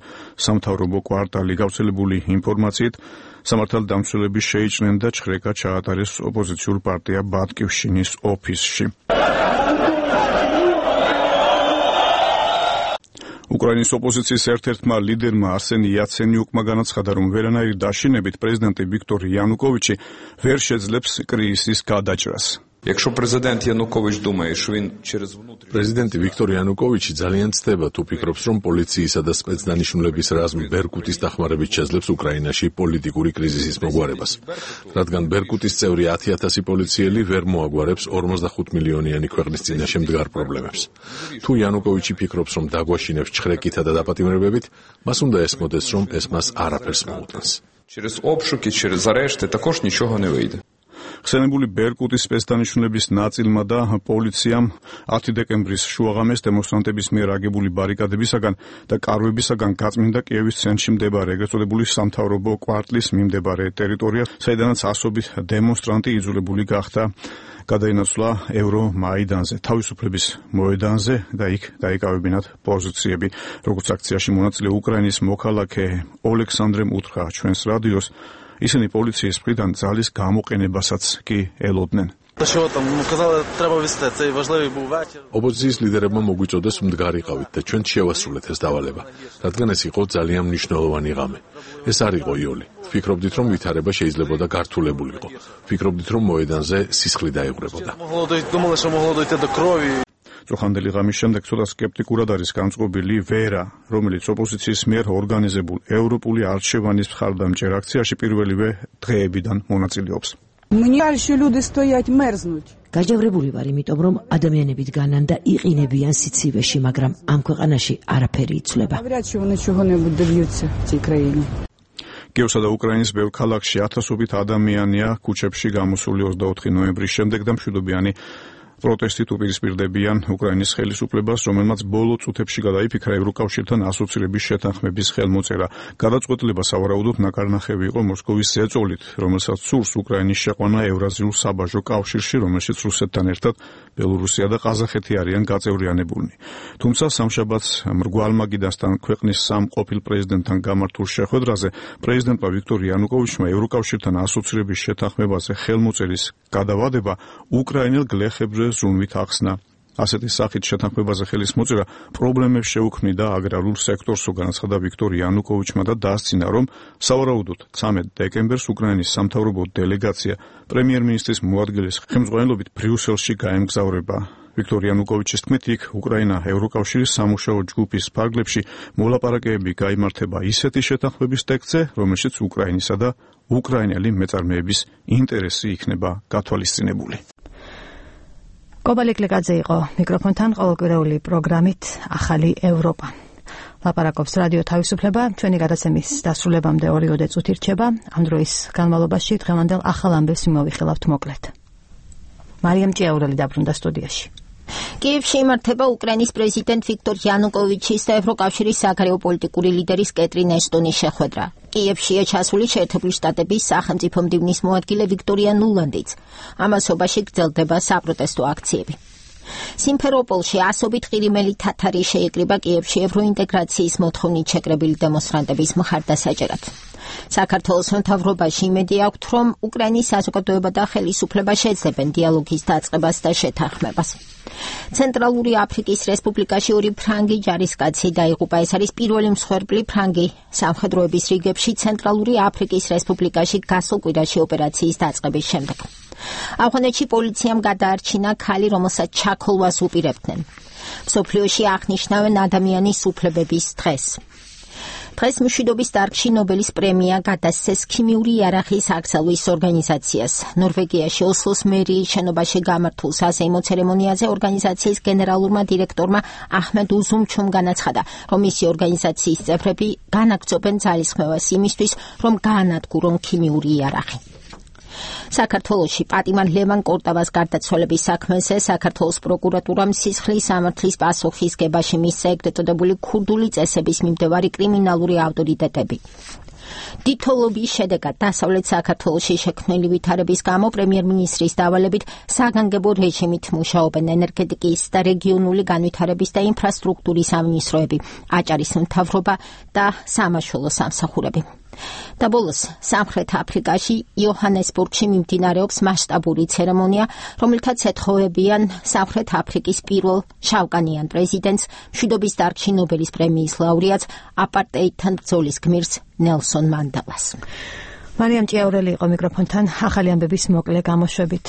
სამთავრობო კვარტალი. გავრცელებული ინფორმაციით, სამართალდამცველები შეიჭრნენ და ჩხრეკა ჩაატარეს ოპოზიციურ პარტია ბატკივშინის ოფისში. უკრაინის ოპოზიციის ერთ-ერთმა ლიდერმა არსენი იაცენიუკმა განაცხადა, რომ ვერანაირი დაშინებით პრეზიდენტი ვიქტორ იანუკოვიჩი ვერ შეძლებს კრიზისის გადაჭრას. პრეზიდენტი ვიქტორ იანუკოვიჩი ძალიან ცდება თუ ფიქრობს, რომ პოლიციისა და სპეცდანიშნულების რაზმი ბერკუტის დახმარებით შეძლებს უკრაინაში პოლიტიკური კრიზისის მოგვარებას. რადგან ბერკუტის წევრი 10,000 პოლიციელი ვერ მოაგვარებს 45 მილიონიანი ქვეყნის წინაშე მდგარ პრობლემებს. თუ იანუკოვიჩი ფიქრობს, რომ დაგვაშინებს ჩხრეკითა და დაპატიმრებებით, მას უნდა ესმოდეს, რომ ეს მას არაფერს მოუტანს. ხსენებული ბერკუტის სპეცდანიშნულების ნაწილმა და პოლიციამ 10 დეკემბრის შუაღამეს დემონსტრანტების მიერ აგებული ბარიკადებისაგან და კარვებისაგან გაწმინდა კიევის ცენტრში მდებარე ეგრეთ წოდებული სამთავრობო კვარტლის მიმდებარე ტერიტორია, საიდანაც ასობით დემონსტრანტი იძულებული გახდა გადაინაცვლა ევრომაიდანზე, თავისუფლების მოედანზე და იქ დაიკავებინათ პოზიციები. როგორც აქციაში მონაწილე უკრაინის მოქალაქე ოლექსანდრემ უთხრა ჩვენს რადიოს, ისინი პოლიციის მხრიდან ძალის გამოყენებასაც კი ელოდნენ. ოპოზიციის ლიდერებმა მოგვიწოდეს მდგარიყავით და ჩვენ შევასრულეთ ეს დავალება, რადგან ეს იყო ძალიან მნიშვნელოვანი ღამე. ეს არ იყო იოლი. ვფიქრობდით, რომ ვითარება შეიძლებოდა გართულებულიყო. ვფიქრობდით, რომ მოედანზე სისხლი დაეღვრებოდა. წუხანდელი ღამის შემდეგ ცოტა სკეპტიკურად არის განწყობილი ვერა, რომელიც ოპოზიციის მიერ ორგანიზებულ ევროპული არჩევანის მხარდამჭერ აქციაში პირველივე დღეებიდან მონაწილეობს. გაჯავრებული ვარ, იმიტომ რომ ადამიანები დგანან და იყინებიან სიცივეში, მაგრამ ამ ქვეყანაში არაფერი იცვლება. კიევსა და უკრაინის ბევრ ქალაქში ათასობით ადამიანია ქუჩებში გამოსული 24 ნოემბრის შემდეგ და მშვიდობიანი პროტესტით უპირისპირდებიან უკრაინის ხელისუფლებას, რომელმაც ბოლო წუთებში გადაიფიქრა ევროკავშირთან ასოცირების შეთანხმების ხელმოწერა. გადაწყვეტილება სავარაუდოდ ნაკარნახევი იყო მოსკოვის ზეწოლით, რომელსაც სურს უკრაინის შეყვანა ევრაზიულ საბაჟო კავშირში, რომელშიც რუსეთთან ერთად ბელორუსია და ყაზახეთი არიან გაწევრიანებულნი. თუმცა სამშაბათს მრგვალ მაგიდასთან ქვეყნის სამ ყოფილ პრეზიდენტთან გამართულ შეხვედრაზე პრეზიდენტმა ვიქტორ იანუკოვიჩმა ევროკავშირთან ასოცირების შეთანხმებაზე ხელმოწერის გადავადება უკრაინელ გლეხებზე ზრუნვით ახსნა. ასეთი სახით შეთანხმებაზე ხელის მოწერა პრობლემებს შეუქმნიდა აგრარულ სექტორს, განაცხადა ვიქტორ იანუკოვიჩმა და დასცინა, რომ სავარაუდოდ 13 დეკემბერს უკრაინის სამთავრობო დელეგაცია პრემიერ-მინისტრის მოადგილის ხელმძღვანელობით ბრიუსელში გაემგზავრება. ვიქტორ იანუკოვიჩის თქმით, იქ უკრაინა ევროკავშირის სამუშაო ჯგუფის ფარგლებში მოლაპარაკებები გაიმართება ისეთი შეთანხმების ტექსტზე, რომელშიც უკრაინისა და უკრაინელი მეწარმეების ინტერესი იქნება გათვალისწინებული. კობალეკლეკაძე იყო მიკროფონთან ყოველკვირეული პროგრამით ახალი ევროპა. ლაპარაკობს რადიო თავისუფლება, ჩვენი გადაცემის დასრულებამდე 2 წუთი რჩება. ამ დროის განმავლობაში დღევანდელ ახალ ამბებს მოვიხილავთ მოკლედ. მარიამ ჭიაურელი დაბრუნდა სტუდიაში. კიევში იმართება უკრაინის პრეზიდენტ ვიქტორ იანუკოვიჩის და ევროკავშირის საგარეო პოლიტიკური ლიდერის კეტრინ ეშტონის შეხვედრა. კიევშია ჩასული შეერთებული შტატების სახელმწიფო მდივნის მოადგილე ვიქტორია ნულანდიც. ამასობაში გრძელდება საპროტესტო აქციები. სიმფეროპოლში ასობით ყირიმელი თათარი შეიკრიბა კიევში ევროინტეგრაციის მოთხოვნით შეკრებილი დემონსტრანტების მხარდასაჭერად. საქართველოს მთავრობაში იმედი აქვთ, რომ უკრაინის საზოგადოება და ხელისუფლება შეძლებენ დიალოგის დაწყებას და შეთანხმებას. ცენტრალური აფრიკის რესპუბლიკაში 2 ფრანგი ჯარისკაცი დაიღუპა. ეს არის პირველი მსხვერპლი ფრანგი სამხედროების რიგებში ცენტრალური აფრიკის რესპუბლიკაში გასულ კვირაში ოპერაციის დაწყების შემდეგ. ავღანეთში პოლიციამ გადაარჩინა ქალი, რომელსაც ჩაქოლვას უპირებდნენ. მსოფლიოში აღნიშნავენ ადამიანის უფლებების დღეს. დღეს მშვიდობის დარგში ნობელის პრემია გადასცეს ქიმიური იარაღის აკრძალვის ორგანიზაციას. ნორვეგიაში ოსლოს მერიის შენობაში გამართულ საზეიმო ცერემონიაზე ორგანიზაციის გენერალურმა დირექტორმა აჰმედ უზუმჩუმ განაცხადა, რომ მისი ორგანიზაციის წევრები განაგრძობენ ძალისხმევას იმისთვის, რომ გაანადგურონ ქიმიური იარაღი. საქართველოში პატიმარ ლევან კორტავას გარდაცვალების საქმეზე საქართველოს პროკურატურამ სისხლის სამართლის პასუხისგებაში მისცა ეგრეთ წოდებული ქურდული წესების მიმდევარი კრიმინალური ავტორიტეტები. დიდთოვლობის შედეგად დასავლეთ საქართველოში შექმნილი ვითარების გამო პრემიერ-მინისტრის დავალებით საგანგებო რეჟიმით მუშაობენ ენერგეტიკის და რეგიონული განვითარების და ინფრასტრუქტურის სამინისტროები, აჭარის მთავრობა და სამაშველო სამსახურები. და ბოლოს სამხრეთ აფრიკაში იოჰანესბურგში მიმდინარეობს მასშტაბური ცერემონია, რომელთაც ეთხოვებიან სამხრეთ აფრიკის პირველ შავკანიან პრეზიდენტს, მშვიდობის დარგში ნობელის პრემიის ლაურეატს, აპარტეიდთან ბრძოლის გმირს ნელსონ მანდელას. მარიამ ჭიაურელი იყო მიკროფონთან ახალი ამბების მოკლე გამოშვებით.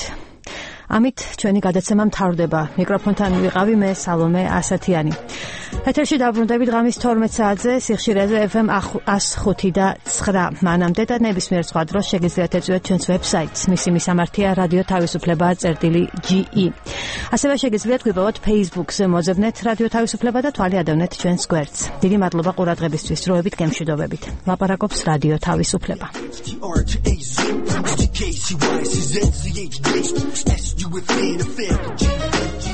ამით ჩვენი გადაცემა მთავრდება. მიკროფონთან ვიყავი მე სალომე ასათიანი. ეთერში დაბრუნდებით ღამის 12 საათზე სიხშირეზე FM 105 და 9. მანამდე და ნებისმიერ სხვა დროს შეგიძლიათ ეწვიოთ ჩვენს ვებსაიტს. მისი მისამართია რადიო თავისუფლება.ge. ასევე შეგიძლიათ გვიპოვოთ Facebook-ზე მოძებნეთ რადიო თავისუფლება და თვალი ადევნეთ ჩვენს გვერდს. დიდი მადლობა ყურადღებისთვის. დროებით გემშვიდობებით. ლაპარაკობს რადიო თავისუფლება. You within a fair